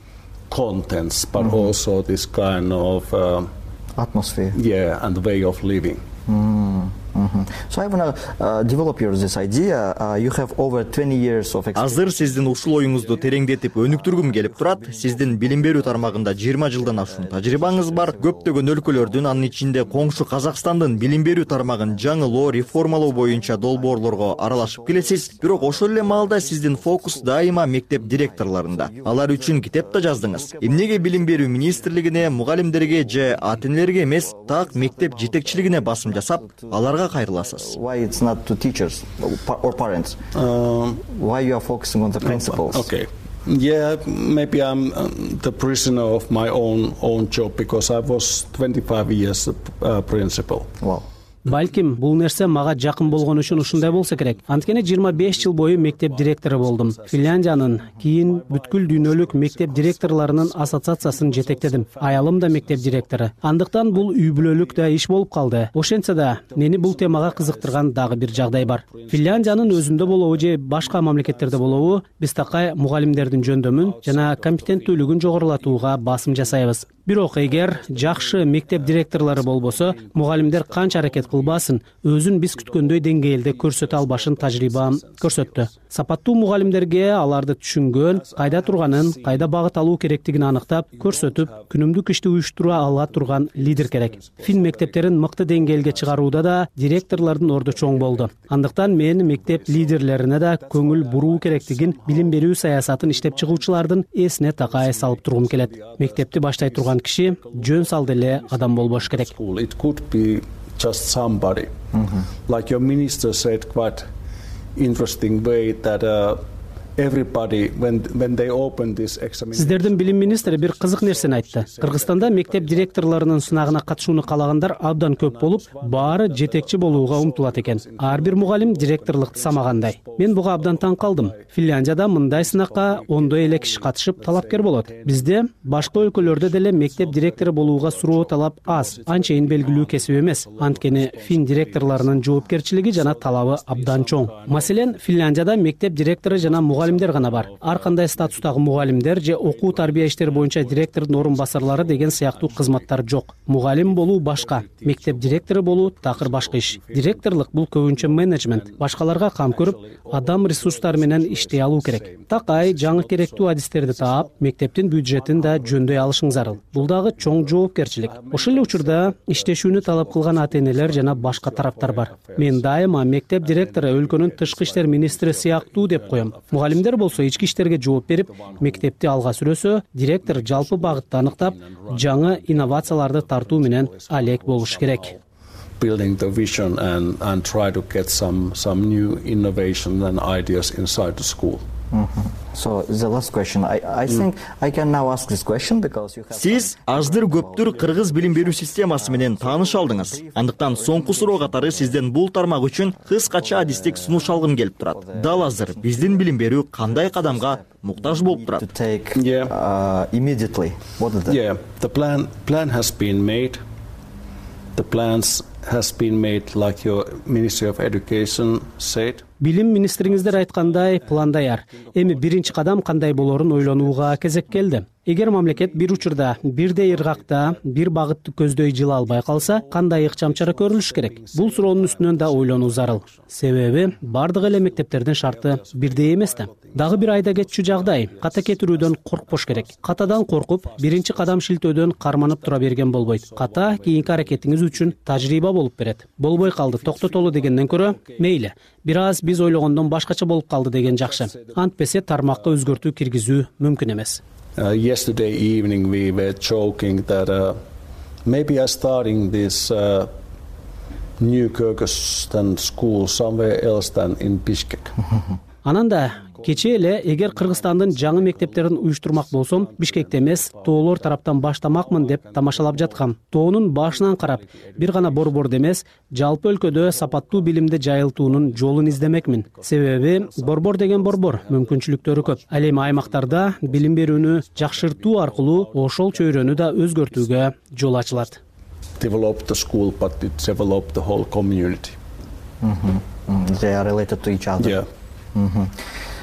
Contents, but also this kind of atmosphere. Yeah, and the way of living. So I want to develop this idea. You have over 20 years of experience. Азыр сиздин ушул оюңузду тереңдетип өнүктүргүм келип турат. Сиздин билим берүү тармагында 20 жылдан ашуун тажрыйбаңыз бар. Көптөгөн өлкөлөрдүн, анын ичинде коңшу Казакстандын билим берүү тармагын жаңылоо, реформалоо боюнча долбоорлорго аралашып келесиз. Бирок ошол эле маалда сиздин фокус дайыма мектеп директорлорунда. Алар үчүн китеп да жаздыңыз. Эмнеге билим берүү министрлигине, мугалимдерге же ата-энелерге эмес, так мектеп жетекчилигине басым жасап, аларга кайрыласыз? Why it's not to teachers or parents? Why you are focusing on the principals? Okay. Yeah, maybe I'm the prisoner of my own job because I was 25 years principal. Wow. Балким, бул нерсе мага жакын болгон үчүн ушундай болсо керек. Анткени 25 жыл бою мектеп директору болдум. Финляндиянын, кийин бүткүл дүйнөлүк мектеп директорлорунун ассоциациясын жетектедим. Аялым да мектеп директору. Андыктан бул үй бүлөлүк да иш болуп калды. Ошентсе да, мени бул темага кызыктырган дагы бир жагдай бар. Финляндиянын өзүндө болобу же башка мамлекеттерде болобу, биз такай мугалимдердин жөндөмүн жана компетенттүүлүгүн жогорулатууга басым жасайбыз. Бирок эгер жакшы мектеп директорлору болбосо, мугалимдер канча аракет кылбасын, өзүн биз күткөндөй деңгээлде көрсөтө албашын тажрыйбам көрсөттү. Сапаттуу мугалимдерге аларды түшүнгөн, кайда турганын, кайда багыт алуу керектигин аныктап, көрсөтүп, күнүмдүк ишти уюштура ала турган лидер керек. Фин мектептерин мыкты деңгээлге чыгарууда да директорлордун орду чоң болду. Андыктан мен мектеп лидерлерине да көңүл буруу керектигин билим берүү саясатын иштеп чыгуучулардын эсине такай салып тургум келет. Мектепти баштай турган киши жөн салды эле адам болбош керек. It could be just somebody. Like your minister said quite interesting way that everybody when they open this examination. Сиздердин билим министри бир кызык нерсени айтты. Кыргызстанда мектеп директорлорунун сынагына катышууну каалагандар абдан көп болуп, баары жетекчи болууга умтулат экен. Ар бир мугалим директорлукту самагандай. Мен буга абдан таң калдым. Финляндияда мындай сынакка ондой эле киши катышып талапкер болот. Бизде башка өлкөлөрдө деле мектеп директору болууга суроо талап аз, анчейин белгилүү кесип эмес. Анткени фин директорлорунун жоопкерчилиги жана талабы абдан чоң. Маселен, Финляндияда мектеп директору жана мугалимдер гана бар. Ар кандай статустагы мугалимдер же окуу тарбия иштери боюнча директордун орун басарлары деген сыяктуу кызматтар жок. Мугалим болуу башка, мектеп директору болуу такыр башка иш. Директорлук бул көбүнчө менеджмент, башкаларга кам көрүп, адам ресурстары менен иштей алуу керек. Такай жаңы керектүү адистерди таап, мектептин бюджетин да жөндөй алышың зарыл. Бул дагы чоң жоопкерчилик. Ошол эле учурда иштешүүнү талап кылган ата-энелер жана башка тараптар бар. Мен дайыма мектеп директору өлкөнүн тышкы иштер министри сыяктуу деп коем. Мугалимдер болсо ички иштерге жооп берип, мектепти алга сүрөсө, директор жалпы багытты аныктап, жаңы инновацияларды тартуу менен алек болуш керек. Building the vision and try to get some new innovation and ideas inside the school. So the last question, I think I can now ask this question because you have. Сиз аздыр көптүр кыргыз билим берүү системасы менен тааныш алдыңыз. Андыктан соңку суроо катары сизден бул тармак үчүн кыскача адистик сунуш алгым келип турат. Дал азыр биздин билим берүү кандай кадамга муктаж болуп турат? Immediately. What is that? Yeah, the plan has been made. The plans has been made like your Ministry of Education said. Билим министриңиздер айткандай план даяр. Эми биринчи кадам кандай болорун ойлонууга кезек келди. Эгер мамлекет бир учурда бирдей ыргакта бир багытты көздөй жыла албай калса, кандай ыкчам чара көрүлүш керек? Бул суроонун үстүнөн да ойлонуу зарыл. Себеби бардык эле мектептердин шарты бирдей эмес да. Дагы бир айда кетчү жагдай, ката кетирүүдөн коркпош керек. Катадан коркуп, биринчи кадам шилтөөдөн карманып тура берген болбойт. Ката кийинки аракетиңиз үчүн тажрыйба болуп берет. Болбой калды, токтотолу дегенден көрө, мейли, бир аз биз ойлогондон башкача болуп калды деген жакшы. Антпесе тармакка өзгөртүү киргизүү мүмкүн эмес. Yesterday evening we were joking that maybe I'm starting this new Kyrgyzstan school somewhere else than in Bishkek. Анан да кечээ эле эгер Кыргызстандын жаңы мектептерин уюштурмак болсом, Бишкекте эмес, тоолор тараптан баштамакмын деп тамашалап жаткам. Тоонун башынан карап, бир гана борбордо эмес, жалпы өлкөдө сапаттуу билимди жайылтуунун жолун издемекмин. Себеби борбор деген борбор, мүмкүнчүлүктөрү көп. Ал эми аймактарда билим берүүнү жакшыртуу аркылуу ошол чөйрөнү да өзгөртүүгө жол ачылат. Develop the school, but it develop the whole community. They are related to each other. Yeah.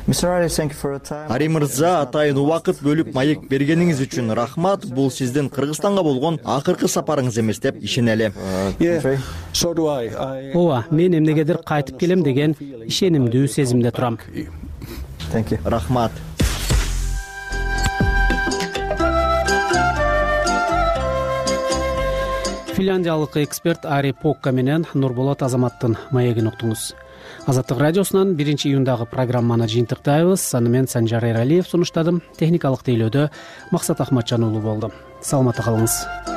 Mr. Ari, thank you for your time. Ари мырза, атайын убакыт бөлүп маек бергениңиз үчүн рахмат. Бул сиздин Кыргызстанга болгон акыркы сапарыңыз эмес деп ишенели. So do I. Ооба, мен эмнегедир кайтып келем деген ишенимдүү сезимде турам. Thank you. Рахмат. Финляндиялык эксперт Ари Покка менен Нурболот Азаматтын маегин уктуңуз. Азаттык радиосунан 1-июндагы программаны жыйынтыктайбыз. Аны мен Санжар Эралиев сунуштадым. Техникалык тейлөөдө Максат Ахматжан уулу болду. Саламатта калыңыз.